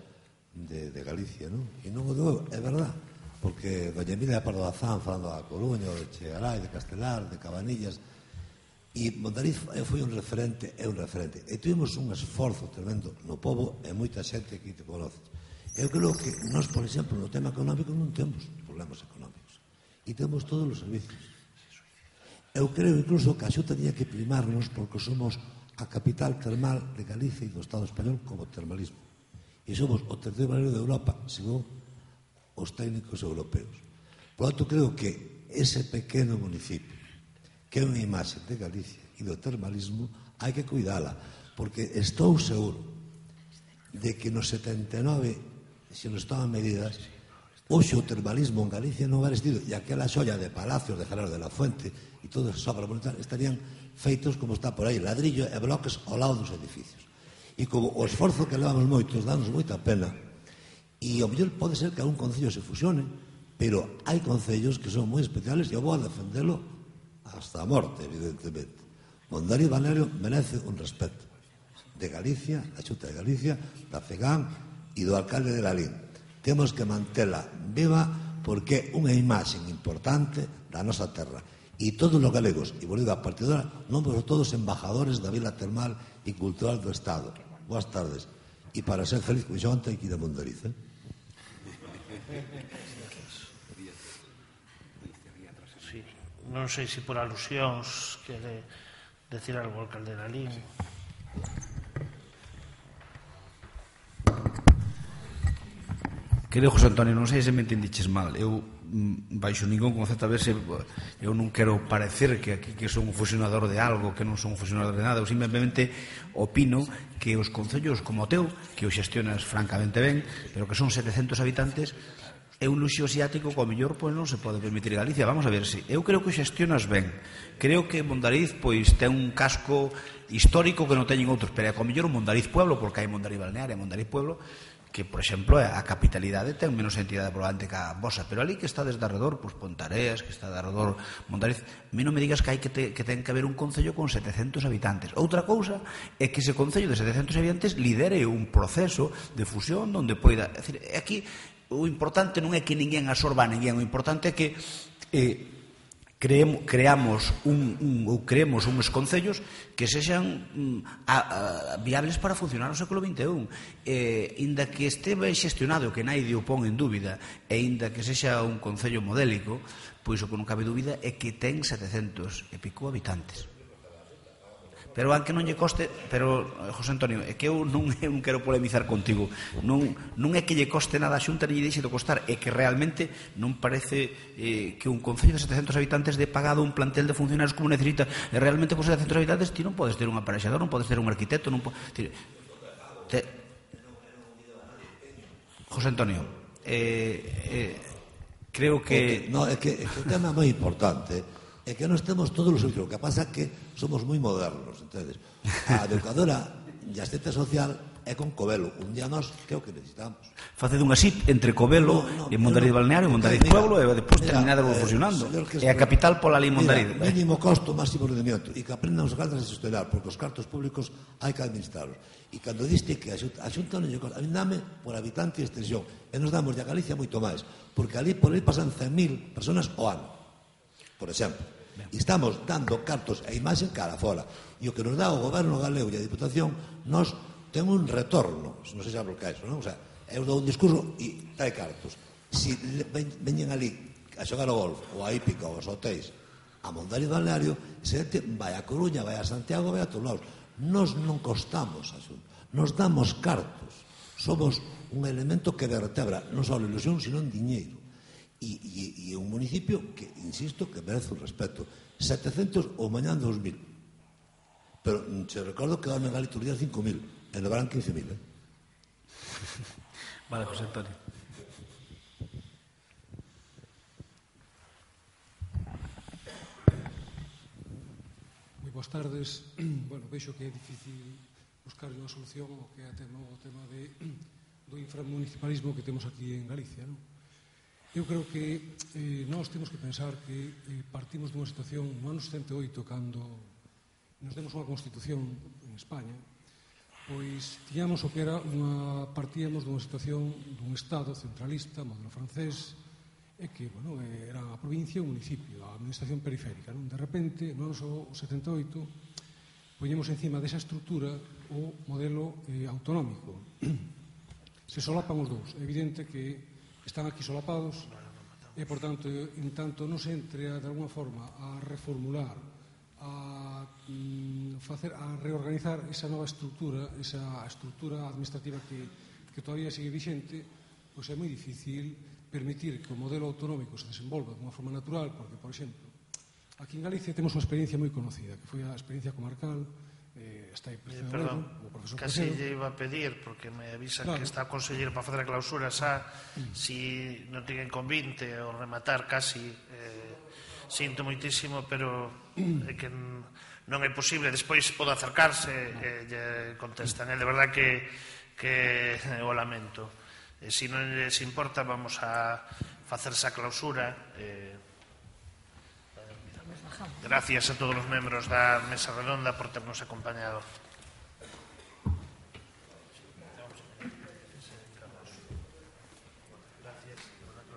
de Galicia, non? E non o digo, é verdad, porque doña Emilia Pardo Bazán falando da Coruña, de Chegaray, de Castelar, de Cabanillas, e Mondariz foi un referente, é un referente, e tuvimos un esforzo tremendo no pobo e moita xente que te conoces. Eu creo que nós, por exemplo, no tema económico non temos problemas económicos e temos todos os servicios. Eu creo incluso que a Xunta tenía que primarnos porque somos a capital termal de Galicia e do Estado español como termalismo, e somos o terceiro valor de Europa según os técnicos europeos. Por lo tanto, creo que ese pequeno municipio, que é unha imaxe de Galicia e do termalismo, hai que cuidala, porque estou seguro de que no 79, se nos toman medidas, hoxe o termalismo en Galicia non era existido, e aquela xolla de palacios de Gerardo de la Fuente e todas as obras monumentales estarían feitos como está por aí, ladrillo e bloques ao lado dos edificios. E como o esforzo que levamos moitos, danos moita pena. E ao mellor pode ser que algún concello se fusione, pero hai concellos que son moi especiales e eu vou a defendelo hasta a morte, evidentemente. Mondariz Balneario merece un respeto de Galicia, da Xunta de Galicia, da FEGAN e do alcalde de Lalín. Temos que mantela viva porque é unha imaxe importante da nosa terra. E todos os galegos, e volvido a partidora, non somos todos embajadores da Vila Termal e Cultural do Estado. Boas tardes. E para ser feliz con xonta hai que ir a Mondariz, Sí. Non sei se por alusións quere decir algo ao alcalde de Lalín. Querido José Antonio, non sei se me entendiches mal. Eu, baixo ningún concepto, a ver se eu non quero parecer que aquí que son un fusionador de algo, que non son un fusionador de nada. Eu simplemente opino que os concellos como o teu, que o xestionas francamente ben, pero que son 700 habitantes, é un luxo asiático que ao mellor pois non se pode permitir Galicia. Vamos a ver se eu creo que o xestionas ben. Creo que Mondariz pois ten un casco histórico que non teñen outros, pero é que ao mellor o Mondariz Pueblo, porque hai Mondariz Balneario e Mondariz Pueblo, que, por exemplo, a capitalidade ten menos entidade probablemente que a vosa, pero ali que está desde arredor, pois Pontareas, que está de arredor Mondariz, a mí non me digas que hai que ten que haber un concello con 700 habitantes. Outra cousa é que ese concello de 700 habitantes lidere un proceso de fusión onde poida... É dicir, aquí o importante non é que ninguén absorba a ninguén, o importante é que creemos uns concellos que sexan viables para funcionar no século XXI. Inda que este ben xestionado, que naide o pon en dúbida, e inda que sexa un concello modélico, pois o que non cabe dúbida é que ten 700 e pico habitantes. Pero aunque non lle coste, pero José Antonio, é que eu non quero polemizar contigo, non é que lle coste nada a Xunta ni lle deixe de costar, é que realmente non parece que un concello de 700 habitantes de pagado un plantel de funcionarios como necesita, e realmente con 700 habitantes ti non podes ter un aparexador, non podes ter un arquitecto, non podes... José Antonio, creo que... No, é que o tema é moi importante, É que nós temos todos os servicios. O que pasa é que somos moi modernos, entendes? A educadora e a assistente social é con Covelo. Un día nós, que é o que necesitamos? Faced unha SIT entre Covelo e Mondariz Balneario, Mondariz Pueblo, e depois terminade fusionando. E a capital pola lei Mondariz. Mínimo costo, máximo rendimiento. E que aprendan os alcaldes a gestionar, porque os cartos públicos hai que administrarlos. E cando diste que a Xunta non lle costa, a mí dame por habitante e extensión. E nos damos de a Galicia moito máis. Porque ali por aí pasan 100.000 personas ao ano. Por exemplo. E estamos dando cartos e imaxen cara fora. E o que nos dá o goberno galego e a Diputación, nós ten un retorno, non sei se hablo que é iso, non? O sea, eu dou un discurso e trae cartos. Si veñen ali a xogar o golf, ou a hípica, ou aos hotéis, a Mondariz Balneario, se vai a Coruña, vai a Santiago, vai a todos lados. Nos non costamos a Xunta, nos damos cartos. Somos un elemento que vertebra non só a ilusión, sino en diñeiro. E un municipio que, insisto, que merece un respeto. 700 ou mañán 2.000. Pero se recordo que daban en Galicia 5.000. E levarán 15.000, Vale, José Antonio. Moi boas tardes. Bueno, vexo que é difícil buscar unha solución ao que é o tema do inframunicipalismo que temos aquí en Galicia, non? Eu creo que nós temos que pensar que partimos dunha situación no ano 78, cando nos demos unha constitución en España, pois tiñamos o que era partíamos dunha situación dun Estado centralista, modelo francés, e que, bueno, era a provincia e o municipio, a administración periférica, non? De repente, no ano 78, poñemos encima desa estrutura o modelo autonómico. Se solapan os dous. É evidente que están aquí solapados e, por tanto, en tanto non se entre de alguna forma a reformular, a reorganizar esa nova estrutura, esa estrutura administrativa que todavía sigue vixente, pois é moi difícil permitir que o modelo autonómico se desenvolva de unha forma natural, porque, por exemplo, aquí en Galicia temos unha experiencia moi conocida, que foi a experiencia comarcal. Está aí perdón, casi lle iba a pedir, porque me avisa que está a conseguir para facer a clausura xa, si non ten convinte o rematar casi, sinto moitísimo, pero é que non é posible. Despois pode acercarse e lle contestan. É de verdad que o lamento. Se non les importa, vamos a facer esa clausura. Gracias a todos os membros da mesa redonda por ternos acompañado.